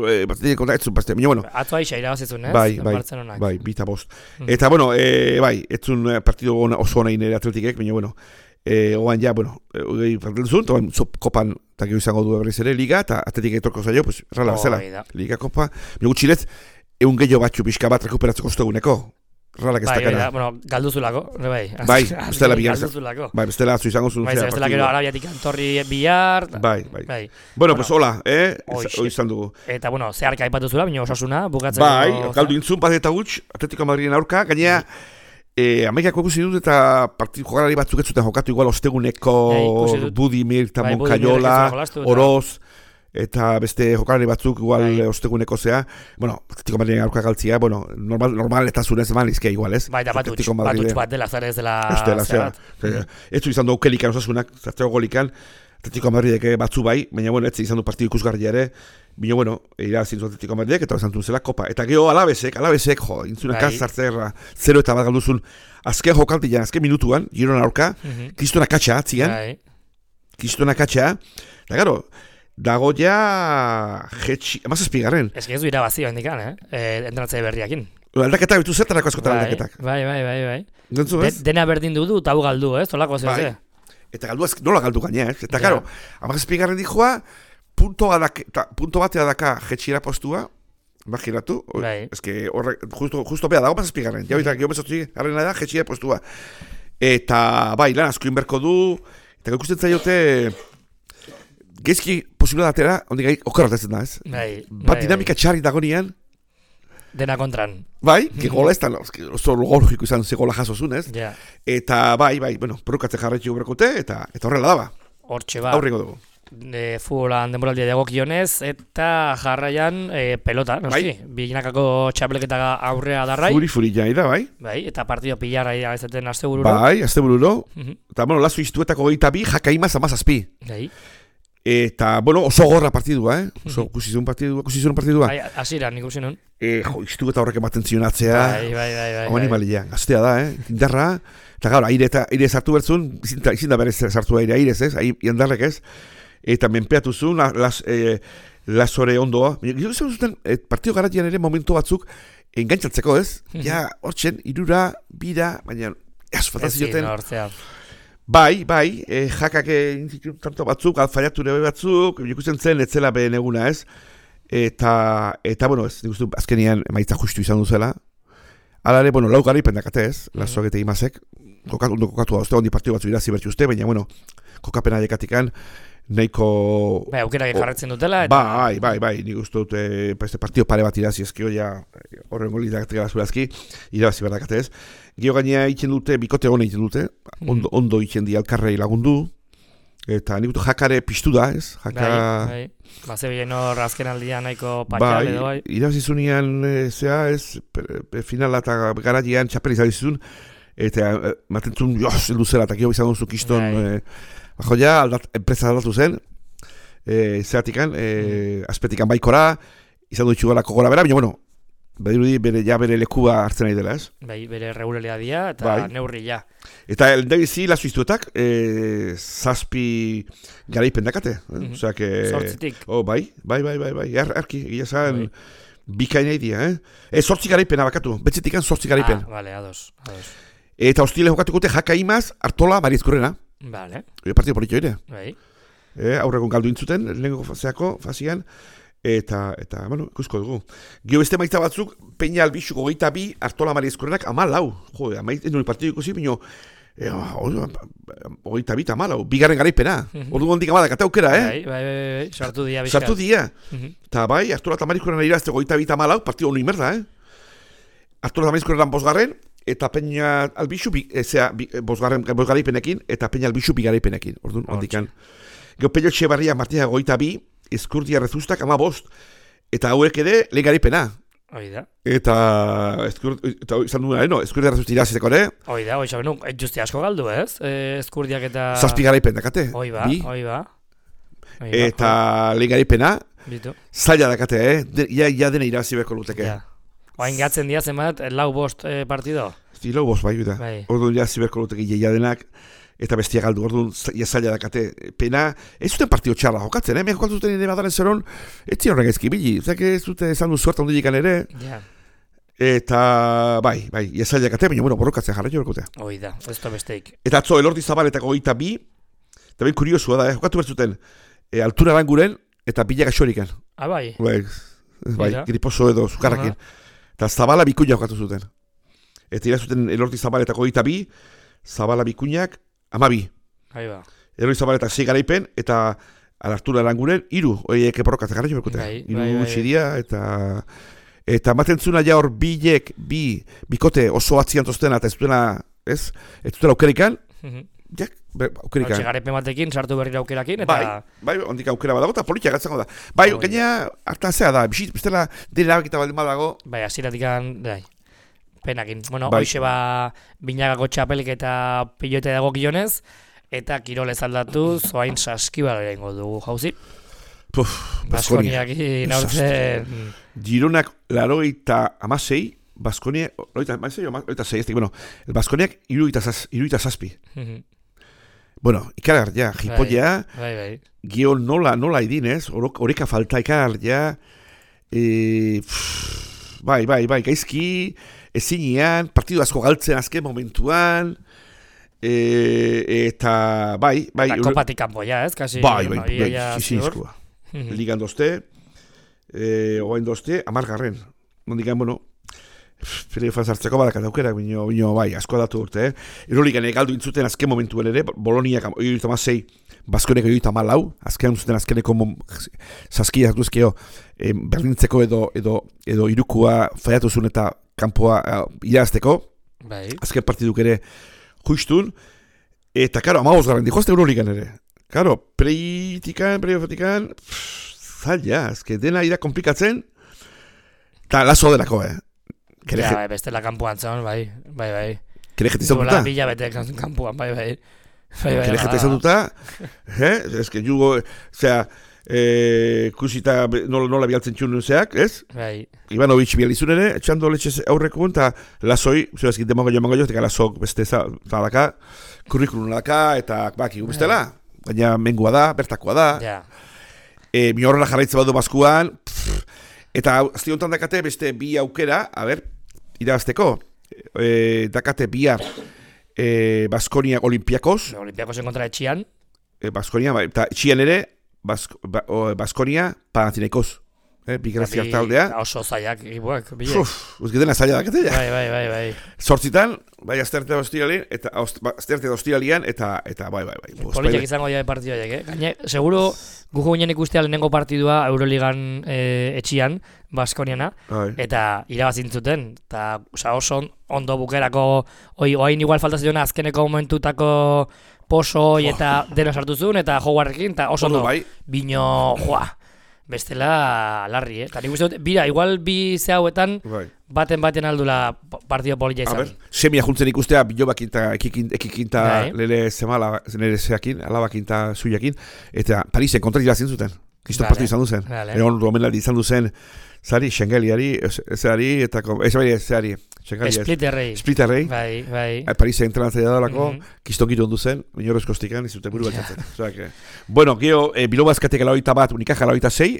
[SPEAKER 3] eh, Atletik kontra ez zuen partidu, baina bueno,
[SPEAKER 2] Atzo aixa irabazizun, ez?
[SPEAKER 3] bai, bai,
[SPEAKER 2] Barcelonak.
[SPEAKER 3] bai, bita bost.
[SPEAKER 2] Mm.
[SPEAKER 3] Eta bueno, eh, bai, ez zuen eh, partidu ona- oso ona inere Atletikek, baina bueno, eh, oan ja, bueno, hogei partidu zuen, toan kopan, eta gero izango du berriz ere liga, eta Atletik etorko zaio, pues, rala bezala,
[SPEAKER 2] Hoi da.
[SPEAKER 3] liga kopa, baina gutxirez, egun gehiago batxu pixka bat rekuperatzeko osteguneko, ralak ez
[SPEAKER 2] Bai, hoi da,
[SPEAKER 3] dakana.
[SPEAKER 2] bueno, galduzulako, ere bai.
[SPEAKER 3] Bai,
[SPEAKER 2] Azken-
[SPEAKER 3] bestela bigar-
[SPEAKER 2] Galduzulako.
[SPEAKER 3] Bai, bestela atzu izango zuen
[SPEAKER 2] Bai,
[SPEAKER 3] zea
[SPEAKER 2] ze bestela gero
[SPEAKER 3] partidua.
[SPEAKER 2] Arabiatik antorri bihar.
[SPEAKER 3] Bai, bai.
[SPEAKER 2] Bai.
[SPEAKER 3] Bueno, pues hola, eh?
[SPEAKER 2] Hoxe.
[SPEAKER 3] Hoi izan dugu.
[SPEAKER 2] Eta, bueno, zeharka aipatu zula, baina osasuna, bukatzeko...
[SPEAKER 3] Bai, galdu intzun bat eta huts, Atletico Madriden aurka, gainea, eh, Amerikako ikusi dut eta partidu jokalari batzuk ez zuten jokatu igual osteguneko
[SPEAKER 2] Bai, ikusi dut.
[SPEAKER 3] Budimir eta
[SPEAKER 2] Bai,
[SPEAKER 3] Moncayola,
[SPEAKER 2] Budimir ez zuen jolastu eta-
[SPEAKER 3] Oroz, eta beste jokalari batzuk igual
[SPEAKER 2] Bai.
[SPEAKER 3] eh, osteguneko zea, bueno, Atletico Madriden aurka galtzia, bueno, normal, normal eta zunez eman izkia igual, ez?
[SPEAKER 2] Bai, da batutx,
[SPEAKER 3] Atletico
[SPEAKER 2] batutx
[SPEAKER 3] Madriden-
[SPEAKER 2] bat dela, zara ez dela...
[SPEAKER 3] Ez dela, zera.
[SPEAKER 2] zera.
[SPEAKER 3] Ez du izan du aukelikan osasunak, zartzeko golikan, Atletico Madridek batzu bai, baina bueno, ez izan du partidu ikusgarria ere, baina bueno, irabazin zu Atletico Madridek eta izan zela kopa. Eta gero alabesek, alabesek, jo, intzunak
[SPEAKER 2] Bai.
[SPEAKER 3] zartzerra, zero eta bat galduzun, azken jokaltian, azken minutuan, Girona aurka,
[SPEAKER 2] Mhm.
[SPEAKER 3] kristona katxa, atzian,
[SPEAKER 2] Bai.
[SPEAKER 3] kristona katxa, eta gero, dago ja, jetxi, amazazpigarren.
[SPEAKER 2] Ez que ez du irabazi handikan, eh? eh entrenatzaile berriakin.
[SPEAKER 3] Aldaketak bitu zertarako askotan
[SPEAKER 2] Bai,
[SPEAKER 3] aldaketak.
[SPEAKER 2] bai, bai, bai, bai.
[SPEAKER 3] Gantzu,
[SPEAKER 2] De,
[SPEAKER 3] ez?
[SPEAKER 2] dena berdin du eta hau galdu, ez? Olako zeu,
[SPEAKER 3] Bai.
[SPEAKER 2] ze?
[SPEAKER 3] Eta galdu azk, nola galdu gaina, ez? Eta
[SPEAKER 2] Ja.
[SPEAKER 3] karo, amazazpigarren dijoa, punto, adak, ta, punto batea daka jetxira postua, imagínatu, o-
[SPEAKER 2] Bai.
[SPEAKER 3] ez que horrek, justo, justo bea dago amazazpigarren, jau eta gero bezatzi garrena da jetxira postua. Eta bai, lan asko inberko du, eta ikusten zaiote, gezki posibilitatera, ondik gai, okarratetzen da, ez?
[SPEAKER 2] Bai,
[SPEAKER 3] Bat
[SPEAKER 2] bai,
[SPEAKER 3] dinamika txarri dagonean,
[SPEAKER 2] Dena kontran.
[SPEAKER 3] bai, que gola ez da, oso logorjiko izan ze gola jasozun, ez?
[SPEAKER 2] Ja.
[SPEAKER 3] Eta bai, bai, bueno, prokatzen jarretxu berkote, eta, eta horrela daba,
[SPEAKER 2] Hortxe ba.
[SPEAKER 3] aurrengo dugu.
[SPEAKER 2] E, futbolan denboraldia dagokionez eta jarraian e, pelota, noski. Biginakako txapelketa aurrea darrai.
[SPEAKER 3] Furi furi jai da, bai?
[SPEAKER 2] Bai, eta partido pilarra izaten aste bururo.
[SPEAKER 3] Bai, azte bururo.
[SPEAKER 2] Mhm.
[SPEAKER 3] Eta, bueno, lazo iztuetako gehieta bi, jakaimaz amazazpi.
[SPEAKER 2] Bai,
[SPEAKER 3] Eta, bueno, oso gorra partidua, eh? Oso kusizun partidua, kusizun partidua.
[SPEAKER 2] bai, hasieran ikusi nun.
[SPEAKER 3] E, jo, iztu eta horrek ematen zionatzea.
[SPEAKER 2] Bai, bai, bai, bai.
[SPEAKER 3] Hau
[SPEAKER 2] bai.
[SPEAKER 3] animalia, gaztea da, eh? Indarra. Eta gaur, aire eta aire sartu bertzun, izin da, izin da berez sartu aire airez, ez? Ai, indarrek ez? Eta menpeatu zuen, la, las, eh, lasore ondoa. Gero izan zuten, eh, partido garatian ere momentu batzuk engantzatzeko, ez? Ja, hortzen, irura, bira, baina, ez, faltan
[SPEAKER 2] Ezin,
[SPEAKER 3] zioten.
[SPEAKER 2] hortzea.
[SPEAKER 3] Bai, bai, eh, jakak egin zituen tanto batzuk, alfaiatu nebe batzuk, ikusten zen, etzela behen eguna, ez? Eta, eta, bueno, ez, nik uste dut azkenian emaitza justu izan duzela. Hala ere, bueno, lau garaipen dakate ez,
[SPEAKER 2] Mhm.
[SPEAKER 3] lasoak eta imazek, kokatu, ondo kokatu da, uste, ondi partidu batzu irazi bertzu uste, baina, bueno, kokapena dekatikan, nahiko...
[SPEAKER 2] Bai, aukerak jarretzen dutela. Eta...
[SPEAKER 3] Bai, bai, bai, nik uste dut, eh, este partido pare bat irazi ezkio, ja, horren goli dakatek zurazki, irabazi berdakate ez. Gio gainea itzen dute, bikote hona itzen dute, ondo, ondo itzen di alkarrei lagundu, eta nik dut jakare piztu da, ez? Jaka...
[SPEAKER 2] Bai, bai. Baze bien hor azken aldian nahiko patxal
[SPEAKER 3] Bai,
[SPEAKER 2] edo bai.
[SPEAKER 3] irabazi zunean, e, zea, ez, per, per, finala eta garatian txapel izan zizun, eta e, matentzun, joz, heldu zela, eta gio izan duzu kiston,
[SPEAKER 2] Bai.
[SPEAKER 3] e, bajo ja, aldat, enpresa aldatu zen, e, zeatikan, e, azpetikan baikora, izan du itxugalako gora bera, baina, bueno, badirudi bere, ja bere lekua hartzen nahi dela, ez?
[SPEAKER 2] Bai, bere regulalia dia eta
[SPEAKER 3] Bai.
[SPEAKER 2] neurri ja.
[SPEAKER 3] Eta eldabizi lazu iztuetak, e, zazpi garaipen dakate, eh?
[SPEAKER 2] Mhm.
[SPEAKER 3] Osea, que...
[SPEAKER 2] Zortzitik.
[SPEAKER 3] Oh, bai, bai, bai, bai, bai, ar, arki, egia zan,
[SPEAKER 2] Bai.
[SPEAKER 3] Bikaina idia, eh? E, sortzi garaipena bakatu, betzetikan sortzi garaipen.
[SPEAKER 2] Ah, vale, ados, ados.
[SPEAKER 3] Eta hostile jokatukote Jaka Imaz, Artola, Mariezkurrena.
[SPEAKER 2] Vale.
[SPEAKER 3] E, partido politio ere.
[SPEAKER 2] Bai.
[SPEAKER 3] E, aurregon galdu intzuten, lehenko faseako, fazian. Eta, eta, bueno, ikusko dugu. Gio beste maitza batzuk, Peña Albixuko goita bi, Artola Mariezkurrenak, ama lau. Jo, amait, ez nuen partidu ikusi, bino, e, goita bi, ama lau. Bigarren garaipena. Ordu gondik ama dakate aukera, eh?
[SPEAKER 2] Bai, bai, bai, bai, sartu dia bizkat.
[SPEAKER 3] Sartu dia. Eta bai, Artola eta Mariezkurrena irazte goita bi, ama lau, partidu honu inmerda, eh? Artola eta Mariezkurrenan bosgarren, eta Peña Albixu, bi, ezea, bi, bosgarren, bosgaraipenekin, eta Peña Albixu bigaraipenekin. Ordu, ondikan. Gio Pello Txebarria Martina goita bi, Eskurdia Rezustak ama bost, eta hauek ere lehen garipena.
[SPEAKER 2] Hoi da.
[SPEAKER 3] Eta, eskur, eta izan duen, no? Eskurdia Rezusti iraziteko ere.
[SPEAKER 2] Hoi da, hoi xabenu, justi asko galdu, ez? E, eskurdiak eta...
[SPEAKER 3] Zazpi garaipen dakate.
[SPEAKER 2] Hoi ba,
[SPEAKER 3] bi.
[SPEAKER 2] hoi ba. Hoi ba,
[SPEAKER 3] eta lehen garipena,
[SPEAKER 2] bitu.
[SPEAKER 3] zaila dakate, eh? De, ja, ja dena irazi beko luteke.
[SPEAKER 2] Ja. Oain gatzen dia zenbat, lau bost eh, partido?
[SPEAKER 3] Zilo bost, bai, da.
[SPEAKER 2] Bai.
[SPEAKER 3] Orduan irazi beko luteke ja denak. Eta bestia galdu, orduan zaila dakate, pena, ez zuten partio txarra jokatzen, eh? Mehan jokatzen zuten nire badaren zeron, ez zion horrek ezki, bili, zake ez zuten esan du suerta ondilikan ere,
[SPEAKER 2] Ja.
[SPEAKER 3] eta, bai, bai, zaila dakate, baina, bueno, borrokatzen jarra jo berkotea.
[SPEAKER 2] Hoi da, ez da besteik.
[SPEAKER 3] Eta atzo, Elordi Zabaletako goita bi, eta ben kuriosua da, eh? Jokatu bertzuten, e, altura aranguren, eta bila gaxorikan.
[SPEAKER 2] Ah, bai.
[SPEAKER 3] Bai, bai,
[SPEAKER 2] Mira.
[SPEAKER 3] griposo edo, zukarrakin. Eta Zabala bikuña jokatu zuten. Eta irazuten Elordi Zabaletako goita bi, Zabala bikuñak, amabi.
[SPEAKER 2] Ahí va.
[SPEAKER 3] Elordi Zabaletak sei garaipen, eta alartura aranguren, iru, oiek eporrokatzen jarra jo berkotea.
[SPEAKER 2] Bai,
[SPEAKER 3] Iru
[SPEAKER 2] bai, bai.
[SPEAKER 3] txiria, eta... Eta maten zuna ja hor bilek, bi, bikote oso atzian toztena, eta ez dutena, ez? Ez dutena aukerikan, jak, aukerikan.
[SPEAKER 2] Hortxe garepen batekin, sartu berrira aukerakin, eta...
[SPEAKER 3] Bai, bai, ondik aukera badago, eta politia gatzango da. Bai,
[SPEAKER 2] Oh,
[SPEAKER 3] gaina, hartazea da, bisit, bestela, dira erabakita baldin badago,
[SPEAKER 2] Bai, aziratikan, bai, penakin. Bueno,
[SPEAKER 3] Bai.
[SPEAKER 2] hoxe ba, binagako txapelik eta pilote dago gionez, eta kirolez aldatuz, oain saskibala egingo dugu jauzi.
[SPEAKER 3] puf, Baskonia.
[SPEAKER 2] Baskoniakin aurten...
[SPEAKER 3] Gironak laroita amasei, Baskonia, loita amasei, loita sei, ez bueno, el Baskoniak iruita zazpi. Bueno, ikarar, ja, jipoia,
[SPEAKER 2] Bai, bai.
[SPEAKER 3] gio nola, nola idinez, horeka falta ikarar, ja, e, pff, bai, bai, bai, gaizki, ezinean, partidu asko galtzen azken momentuan, e, eta, bai, bai,
[SPEAKER 2] Eta kopatik kanpo ja, ez? Kasi,
[SPEAKER 3] bai, bai,
[SPEAKER 2] bueno, ia-
[SPEAKER 3] bai,
[SPEAKER 2] ia
[SPEAKER 3] zizizkoa.
[SPEAKER 2] ziur.
[SPEAKER 3] Ligan dozte, e, oain dozte, amargarren. Nondikan, bueno, playoffan sartzeko badakat aukera, bino, bino, bai, asko datu urte, eh? Euroligan galdu intzuten azken momentuen ere, Boloniak oiurita mazei, Baskoneko oiurita malau, azken zuten azkeneko zazkia hartuzkeo, eh, berdintzeko edo, edo, edo irukua faiatu zuen eta kanpoa uh, irazteko,
[SPEAKER 2] Bai.
[SPEAKER 3] azken partiduk ere justun, eta karo, amabos garren dihoazte Euroligan ere. Karo, preitikan, preiofetikan, zaila, azke dena ira komplikatzen, eta lazo delako, eh? Kere,
[SPEAKER 2] Ja, bai, bestela kanpoan zon, bai, bai, bai.
[SPEAKER 3] kere jeti izan
[SPEAKER 2] Duela
[SPEAKER 3] duta?
[SPEAKER 2] bila bete kanpoan, bai, bai. Bai, bai,
[SPEAKER 3] Kere
[SPEAKER 2] bai,
[SPEAKER 3] jeti izan duta? Eh? Ez que jugo, zera, eh, kusita nola, nola bialtzen txun zeak, ez?
[SPEAKER 2] bai.
[SPEAKER 3] Ivanovic bializun ere, etxando letxe aurreko eta lazoi, zera ezkit demongo joan mango jo, eta lazok beste zadaka, kurrikulun daka, eta baki gubestela, baina mengua da, bertakoa da,
[SPEAKER 2] Ja.
[SPEAKER 3] e, mi horrela jarraitze badu baskuan, pff, eta azti honetan dakate beste bi aukera, a ber, irabazteko, e, dakate bihar e, Baskonia Olimpiakos,
[SPEAKER 2] Olimpiakos kontra etxian.
[SPEAKER 3] e, Baskonia, ba, eta txian ere, Bask, ba, o, Baskonia Panathinaikos, e, bi graziak taldea.
[SPEAKER 2] Oso zaiak egibuak, bilek.
[SPEAKER 3] Uf, uzgeten zaila dakate ja.
[SPEAKER 2] Bai, bai, bai, bai.
[SPEAKER 3] Zortzitan, bai, azterte da ostiralian, eta azterte da ostiralian, eta, eta bai, bai, bai. Bo,
[SPEAKER 2] Politek
[SPEAKER 3] Espainiak-
[SPEAKER 2] izango dira partidu horiek, eh? Gaine, seguro gugu ginen ikustea lehenengo partidua Euroligan eh, etxian, Baskoniana,
[SPEAKER 3] Bai.
[SPEAKER 2] eta irabazintzuten, eta oza, oso on- ondo bukerako, oi, oain igual falta ziona azkeneko momentutako poso hoi eta dena sartu zuen, eta joguarrekin, eta oso
[SPEAKER 3] Ondo,
[SPEAKER 2] ondo,
[SPEAKER 3] bai.
[SPEAKER 2] bino, joa, bestela larri, eh? Eta nik uste dut, bira, igual bi ze hauetan,
[SPEAKER 3] Bai.
[SPEAKER 2] baten baten aldula partido polilla
[SPEAKER 3] A
[SPEAKER 2] izan.
[SPEAKER 3] ber, semia juntzen ikustea bilobakin eta ekikin, ekikin eta
[SPEAKER 2] Bai.
[SPEAKER 3] lele zemala, nere zeakin, alabakin eta zuiakin, eta Parisen kontra irazien zuten. Kristo
[SPEAKER 2] Vale.
[SPEAKER 3] partidu izan duzen.
[SPEAKER 2] Vale.
[SPEAKER 3] Egon romenaldi izan duzen, zari, Schengeliari, ezari, eta, ko- ez bai, ezari, Schengeliari,
[SPEAKER 2] Splitterrei.
[SPEAKER 3] Splitterrei,
[SPEAKER 2] Bai, bai.
[SPEAKER 3] Parisen entrenatzaia dalako,
[SPEAKER 2] Mhm.
[SPEAKER 3] kiston giro ondu zen, minorezko estikan, izuten buru batzatzen. Osea que, bueno, geho, e, bilo bazkatek alaoita bat, unikaja alaoita sei,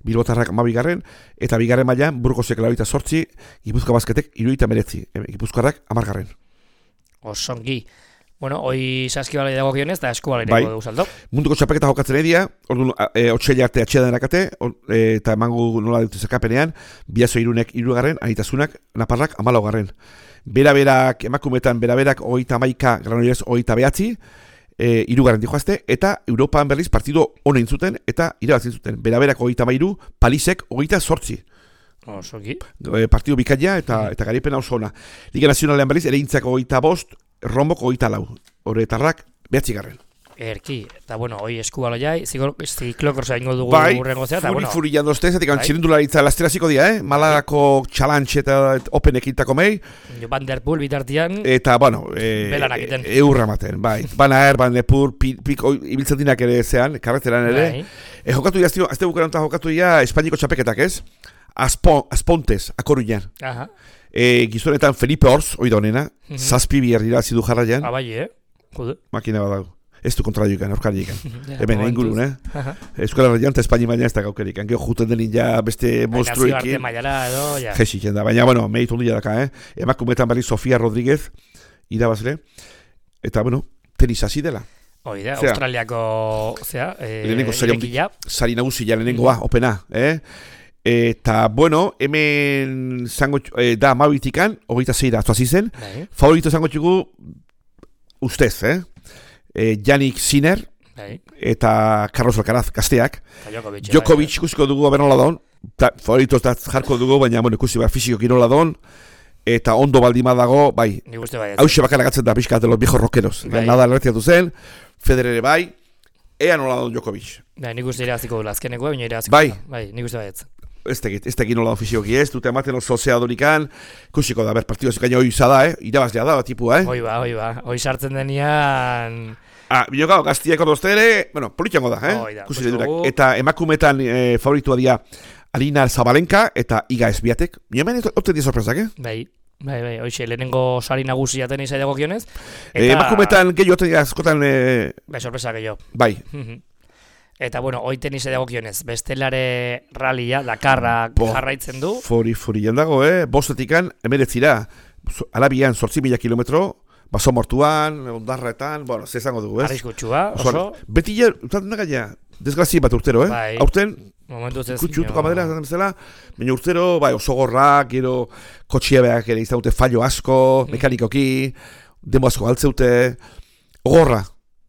[SPEAKER 3] Bilbotarrak hamabigarren, eta bigarren mailan Burgosek laurogeita zortzi, Gipuzkoa Basketek hirurogeita hemeretzi, Gipuzkoarrak hamargarren.
[SPEAKER 2] Osongi. Bueno, hoi saskibalei dagokionez eta eskubalei
[SPEAKER 3] bai.
[SPEAKER 2] dugu saldo.
[SPEAKER 3] Munduko txapelketa jokatzen edia, orduan e, otsaila arte atxea denak ate, e, eta emango nola dute zerkapenean, Biazo Irunek hirugarren, Anitasunak, Naparrak hamalaugarren. Bera-berak, emakumetan bera-berak hogeita hamaika, Granollers hogeita behatzi, e, hirugarren dijoazte, eta Europan berriz partido honein zuten, eta irabazin zuten. Bera-berak hogeita hamairu, Palisek hogeita zortzi.
[SPEAKER 2] Osoki.
[SPEAKER 3] E, partido bikaina eta, eta garipena oso ona. Liga Nazionalean berriz, ere intzak hogeita bost, Rombok hogeita lau. Horretarrak, behatzigarren.
[SPEAKER 2] Erki, eta bueno, hoi eskubaloiai, ziklokrosa ingo dugu
[SPEAKER 3] bai,
[SPEAKER 2] urrengo zea, eta
[SPEAKER 3] furi,
[SPEAKER 2] bueno.
[SPEAKER 3] furi jandozte, zatik
[SPEAKER 2] bai.
[SPEAKER 3] Txirindularitza lasteraziko dia, eh? Malagako challenge eta open ekintako mei.
[SPEAKER 2] Van der Poel bitartian,
[SPEAKER 3] eta, bueno, e,
[SPEAKER 2] belanak iten.
[SPEAKER 3] E, eurra maten, bai. Bana er, Van der Poel, piko, ibiltzen dinak ere zean, karreteran ere.
[SPEAKER 2] Bai.
[SPEAKER 3] E, jokatu ia, azte bukarantan jokatu ia, Espainiko txapeketak, ez? Aspo, Aspontes, Akoruñan.
[SPEAKER 2] Aha.
[SPEAKER 3] E, gizonetan Felipe Orz, oida honena,
[SPEAKER 2] Mhm.
[SPEAKER 3] zazpi biher dira zidu jarraian.
[SPEAKER 2] Abai, eh? Jude.
[SPEAKER 3] Makina bat dago. Ez du kontra joikan, aurkari joikan.
[SPEAKER 2] Ja,
[SPEAKER 3] Hemen,
[SPEAKER 2] momentuz.
[SPEAKER 3] ingurun, eh?
[SPEAKER 2] Aha.
[SPEAKER 3] Euskal Herrian eta Espainia baina ez da gaukerik. Gero juten denin ja beste
[SPEAKER 2] Nazio arte
[SPEAKER 3] monstruekin.
[SPEAKER 2] mailara edo, ja.
[SPEAKER 3] Jesik da, baina, bueno, meritu handia daka, eh? Emakumetan berri Sofia Rodríguez, irabazle. Eta, bueno, tenis hasi dela.
[SPEAKER 2] Hoi da,
[SPEAKER 3] Zea.
[SPEAKER 2] Australiako, zea, eh,
[SPEAKER 3] Lehenengo sari
[SPEAKER 2] irekia.
[SPEAKER 3] Sari nagusia lehenengoa, opena, eh? Eta, bueno, hemen zango, eh, da amabitikan, hogeita zeira atuazi zen.
[SPEAKER 2] Bai,
[SPEAKER 3] Favorito zango txugu, ustez, eh? E, Yannick Sinner
[SPEAKER 2] bai.
[SPEAKER 3] eta Carlos Alcaraz gazteak.
[SPEAKER 2] Eta Djokovic.
[SPEAKER 3] Djokovic ikusiko dugu benola don, ta, favoritoz da jarko dugu, baina bueno, ikusi behar fiziko kirola don, eta ondo baldima dago, bai,
[SPEAKER 2] Nik uste bai.
[SPEAKER 3] hause bakara gatzen da pixka de los viejos rockeros.
[SPEAKER 2] Bai.
[SPEAKER 3] Nada lertiatu zen, Federer bai, ea nola don Djokovic.
[SPEAKER 2] Bai, nik uste iraziko dula azkeneko, baina iraziko.
[SPEAKER 3] Bai.
[SPEAKER 2] Bai, nik uste baietz.
[SPEAKER 3] Ez tegit, ez tegit nola don fizikoki ez, dute ematen oso zea dorikan, ikusiko da, ber, partidu zikaino hoi izada, eh? Irabazlea da, tipua, eh?
[SPEAKER 2] Hoi ba, hoi ba. Hoi sartzen denian...
[SPEAKER 3] Ah, bilokao, gaztiako dozte ere, bueno, politxango da, eh?
[SPEAKER 2] Hoi da,
[SPEAKER 3] Ikusi
[SPEAKER 2] ikusi
[SPEAKER 3] durak.
[SPEAKER 2] dugu.
[SPEAKER 3] Eta emakumetan eh, favoritua dia Alina Zabalenka eta Iga Esbiatek. Ni hemen oten di sorpresak, eh?
[SPEAKER 2] Bai, bai, bai, hoxe, lehenengo sari nagusia tenisa dagokionez.
[SPEAKER 3] Eh, emakumetan gehiago oten dira askotan, eh,
[SPEAKER 2] Bai, sorpresa gehiago.
[SPEAKER 3] bai,
[SPEAKER 2] Eta, bueno, hoi tenisa dagokionez, bestelare rallia, Dakarra
[SPEAKER 3] Bo.
[SPEAKER 2] jarraitzen du.
[SPEAKER 3] fori, fori jandago, eh? Bostetikan, emeretzira, Arabian zortzi mila kilometro, baso mortuan, ondarretan, bueno, ze zango dugu, ez?
[SPEAKER 2] Arriskutsua,
[SPEAKER 3] Oso,
[SPEAKER 2] oso.
[SPEAKER 3] beti ja, utaten da gaia, desgrazi bat urtero, eh?
[SPEAKER 2] Bai.
[SPEAKER 3] Aurten,
[SPEAKER 2] Momentuz ez.
[SPEAKER 3] kutxutuko amadera, zaten bezala, baina urtero, bai, oso gorrak, gero, kotxiebeak ere izan dute fallo asko, mekanikoki, demo asko galtzeute, gorra.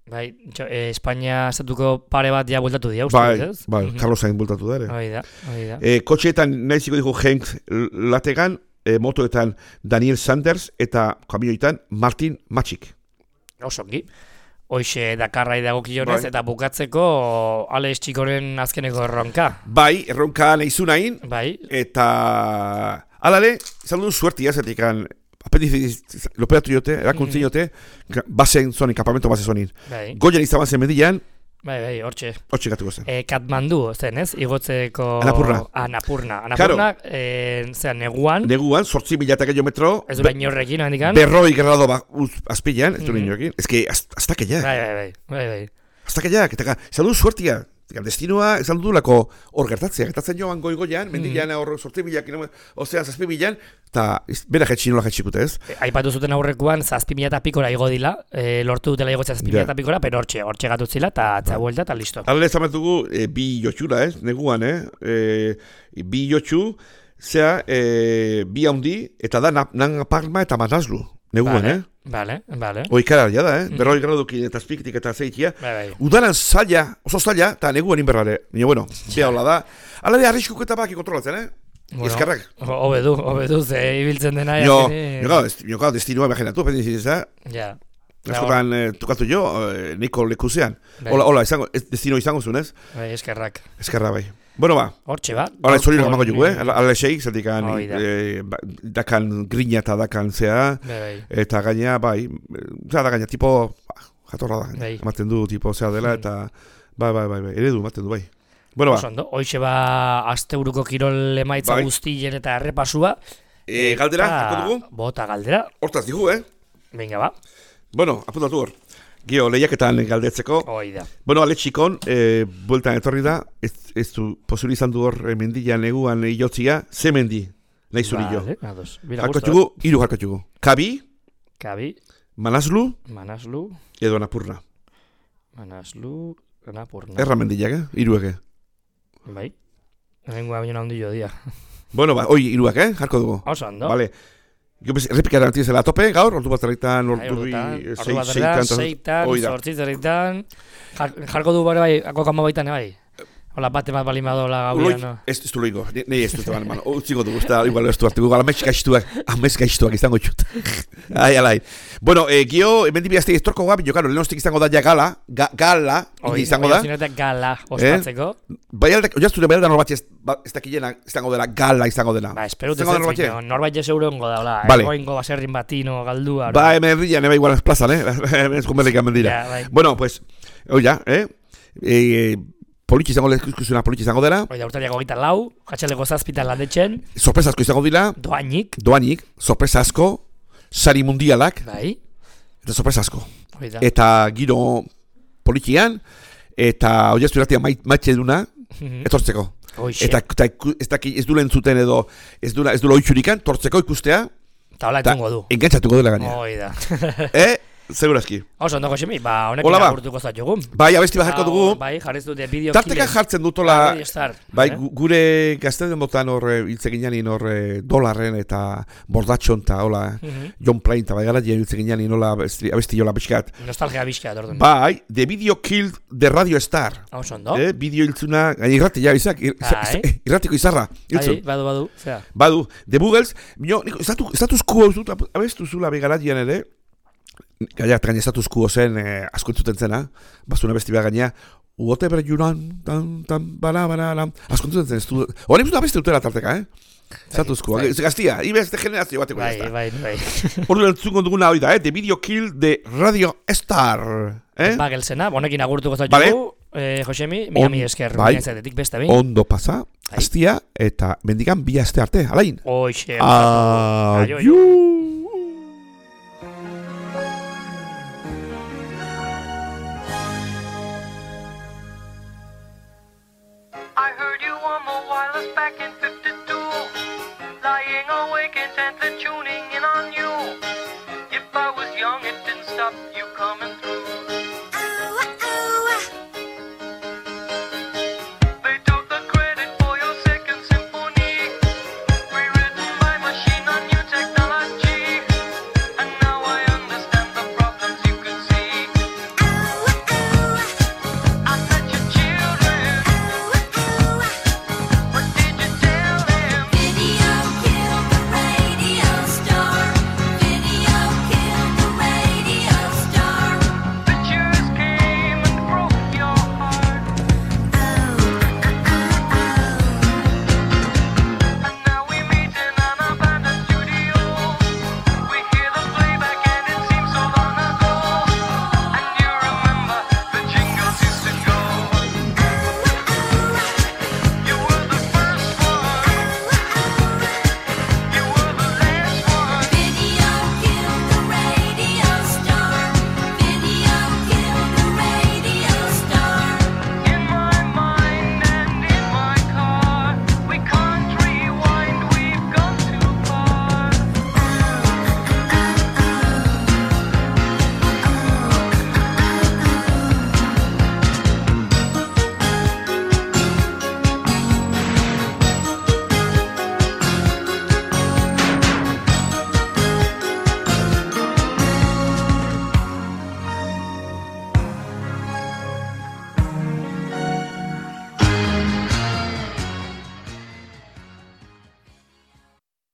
[SPEAKER 2] Bai, txo, eh, Espainia estatuko pare bat ja bueltatu dira, uste
[SPEAKER 3] Bai,
[SPEAKER 2] dut, ez?
[SPEAKER 3] bai,
[SPEAKER 2] Mhm.
[SPEAKER 3] Carlos Sainz bultatu da ere.
[SPEAKER 2] Hoi da, hoi da.
[SPEAKER 3] E, kotxeetan nahiziko digu Henk Lategan, e, motoetan Daniel Sanders eta kamioetan Martin Matxik.
[SPEAKER 2] Osongi. Hoxe Dakarrai dagokionez,
[SPEAKER 3] Bai.
[SPEAKER 2] eta bukatzeko Alex Txikoren azkeneko erronka.
[SPEAKER 3] Bai, erronka nahizu nahin,
[SPEAKER 2] Bai,
[SPEAKER 3] eta alare, izan duen suertia, zetikan apendiziz loperatu jote, erakuntzin jote, basen zonin, kampamento base zonin.
[SPEAKER 2] bai,
[SPEAKER 3] Goian izan zen median,
[SPEAKER 2] bai, bai, hortxe.
[SPEAKER 3] hotxe gatuko zen.
[SPEAKER 2] E, Katmandu, zen ez? Igotzeko...
[SPEAKER 3] Anapurna.
[SPEAKER 2] Anapurna. Anapurna, e, zean, neguan,
[SPEAKER 3] Neguan, sortzi mila eta gehiametro,
[SPEAKER 2] ez du bain horrekin, handikan.
[SPEAKER 3] berroi grado ba, uz, azpilan, ez du
[SPEAKER 2] Mhm.
[SPEAKER 3] ninoekin. Ez que, hasta que ya.
[SPEAKER 2] Bai, bai, bai, bai, bai.
[SPEAKER 3] Hasta que ya, eta izan du suertia. Eta destinoa, izan du lako hor gertatzea. Gertatzen joan goi-goian, mendilan hor sortzi mila kilometro, ozean zazpi milan, eta bera jetxin nola jetxikute ez.
[SPEAKER 2] E, aipatu zuten aurrekoan, zazpi mila eta pikora igo dila, e, lortu dutela igotzea zazpi mila
[SPEAKER 3] Ja.
[SPEAKER 2] eta pikora, pero hortxe, hortxe gatutzila, eta atzea buelta, eta listo.
[SPEAKER 3] Hala ez dugu e, bi jotxura, ez, neguan, eh? E, bi jotxu, zea, e, bi haundi, eta da na- nan Palma eta Manaslu, neguan,
[SPEAKER 2] Vale,
[SPEAKER 3] eh?
[SPEAKER 2] Vale, vale.
[SPEAKER 3] Oikara alia da, eh?
[SPEAKER 2] Mhm.
[SPEAKER 3] Berroi gradukin eta azpikitik eta zeitia.
[SPEAKER 2] Bai, bai.
[SPEAKER 3] Udaran zaila, oso zaila, eta neguan inberrare. Baina, bueno, bea hola da. Hala de arriskuk eta baki kontrolatzen, eh?
[SPEAKER 2] Bueno,
[SPEAKER 3] Eskerrak.
[SPEAKER 2] ho- Hobe du, hobe du, ze ibiltzen dena.
[SPEAKER 3] Jo,
[SPEAKER 2] azkenean-
[SPEAKER 3] jo, gau, ez- jo, gau, destinoa imaginatu, pendiziz, eh?
[SPEAKER 2] Ja.
[SPEAKER 3] Askotan eh, tukatu jo, eh, niko lekuzean.
[SPEAKER 2] Bai.
[SPEAKER 3] Hola, hola, izango, ez, destino izango zuen, ez?
[SPEAKER 2] Bai, eskerrak.
[SPEAKER 3] Eskerra bai. Bueno, ba,
[SPEAKER 2] Hortxe ba.
[SPEAKER 3] hola, ez hori
[SPEAKER 2] gaurko-
[SPEAKER 3] gamango jugu, eh? Ala esei, zatik
[SPEAKER 2] Hoi da.
[SPEAKER 3] eh, ba, dakan grina eta dakan zea,
[SPEAKER 2] Bai, bai.
[SPEAKER 3] eta gaina, bai, eh, zera da gaina, tipo, ba, jatorra da,
[SPEAKER 2] Bai.
[SPEAKER 3] ematen du, tipo, zea dela,
[SPEAKER 2] Mm.
[SPEAKER 3] eta, bai, bai, bai, bai, eredu, ematen du, bai. Bueno,
[SPEAKER 2] Oso
[SPEAKER 3] ba,
[SPEAKER 2] ondo, hoxe ba asteburuko kirol emaitza
[SPEAKER 3] Bai.
[SPEAKER 2] guztien eta errepasua.
[SPEAKER 3] e, galdera,
[SPEAKER 2] Eta-
[SPEAKER 3] harko dugu,
[SPEAKER 2] Bota galdera,
[SPEAKER 3] hortaz digu, eh?
[SPEAKER 2] venga ba.
[SPEAKER 3] Bueno, apuntatu hor. Gio, lehiaketan galdetzeko.
[SPEAKER 2] Hoi da.
[SPEAKER 3] Bueno, ale txikon, e, bueltan etorri da, ez, ez du, posible izan du hor e, mendian eguan iotzia, ze mendi, nahi zuri jo.
[SPEAKER 2] Vale, ados. Bira
[SPEAKER 3] Jarko
[SPEAKER 2] gusto.
[SPEAKER 3] txugu, iru jarko txugu. Kabi,
[SPEAKER 2] Kabi,
[SPEAKER 3] Manaslu,
[SPEAKER 2] Manaslu,
[SPEAKER 3] edo Anapurna.
[SPEAKER 2] Manaslu, Anapurna.
[SPEAKER 3] Erra mendiak, eh? Irueke.
[SPEAKER 2] Bai. Rengoa baino handi jo dia.
[SPEAKER 3] Bueno, ba, oi, iruak, eh? Jarko dugu.
[SPEAKER 2] Oso ondo.
[SPEAKER 3] Vale. Jo, bez, errepikaren antizela tope, gaur, ordu bat zerritan, ordu bi,
[SPEAKER 2] Ordu bat zerritan, seitan, sortzi zerritan. Jarko du bare bai, akokama baitan, bai. Hola, bate bat bali madola gauia, no?
[SPEAKER 3] Ez du loiko, nahi ez du zeban, man. Utziko dugu, ez da, igual ez du hartu, igual amets gaiztuak, amets gaiztuak izango txut. Ai, alai. Bueno, eh, gio, emendi bihazte iztorko guap, jo, karo, lehenostik izango da ja gala, ga, gala,
[SPEAKER 2] Oi,
[SPEAKER 3] izango da.
[SPEAKER 2] Oi, gala, ospatzeko.
[SPEAKER 3] Eh? Bai aldak, oiaztu, bai aldak norbait ez, ba, ez dakilena, izango dela, gala izango dela.
[SPEAKER 2] Ba, esperut ez ez, norbait jes eurengo da, hola,
[SPEAKER 3] vale.
[SPEAKER 2] Egoingo baserrin batino, galdua.
[SPEAKER 3] Ba, hemen herrian, eba igual ez plazan, eh? Hemen eskumerrik amendira.
[SPEAKER 2] Ja, bai.
[SPEAKER 3] Bueno, pues, oia, eh? eh Politxe izango lehizkuzuna, politxe izango dela.
[SPEAKER 2] Oida, urtariako gita lau, katxaleko zazpitan landetxen.
[SPEAKER 3] Sorpresa asko izango dira.
[SPEAKER 2] Doainik.
[SPEAKER 3] Doainik, sorpresa asko, sari mundialak.
[SPEAKER 2] Bai.
[SPEAKER 3] Eta sorpresa asko.
[SPEAKER 2] Oida.
[SPEAKER 3] Eta giro politxian, eta oiaztu irratia maitxe duna, etortzeko.
[SPEAKER 2] Oixe.
[SPEAKER 3] Eta, eta ez, daki, ez du lentzuten edo, ez du ez du loitxurikan, tortzeko ikustea.
[SPEAKER 2] Eta hola etungo du.
[SPEAKER 3] Engantzatuko dela gaina.
[SPEAKER 2] Oida.
[SPEAKER 3] eh? Segurazki.
[SPEAKER 2] Oso, ondo, Josemi, ba, honekin agurtuko zatugu.
[SPEAKER 3] Bai, abesti bat jarko dugu.
[SPEAKER 2] Bai, jarriz dute bideo
[SPEAKER 3] Tarteka jartzen dutola, bai,
[SPEAKER 2] eh?
[SPEAKER 3] gure gazte den botan hor hiltzeginan hor dolarren eta bordatxon eta hola, uh -huh. John Plain eta bai gara dien hiltzeginan hola abesti jola pixkat.
[SPEAKER 2] Nostalgia pixkat, orduan.
[SPEAKER 3] Bai, The Video Killed the Radio Star.
[SPEAKER 2] Oso, ondo.
[SPEAKER 3] Eh, bideo hiltzuna, gaina irrati, ja, izak, irratiko izarra.
[SPEAKER 2] Bai, badu, badu, zera.
[SPEAKER 3] Badu, The Boogles, mio, status quo hau zut, abestu zula bai gara dien ere, gaina, gaina status quo zen, eh, asko entzuten zena, bazuna besti behar gaina, whatever you run, tan, tan, bala, bala, bala, asko entzuten zen, ez du, hori entzuten abesti dutela tarteka, eh? Status quo, gaztia, ibeste generazio bateko
[SPEAKER 2] bai, bai, bai.
[SPEAKER 3] Hori entzungo duguna hori da, eh? The Video Kill the Radio Star, eh?
[SPEAKER 2] Bagelsena, bonekin agurtuko zautugu, vale. eh, Josemi, miami esker,
[SPEAKER 3] bai.
[SPEAKER 2] Zatetik beste behin.
[SPEAKER 3] Ondo pasa, aztia, eta mendigan bi aste arte, alain.
[SPEAKER 2] Oixe,
[SPEAKER 3] adiu.
[SPEAKER 4] I heard you on the wireless back in fifty-two, lying awake intent to tune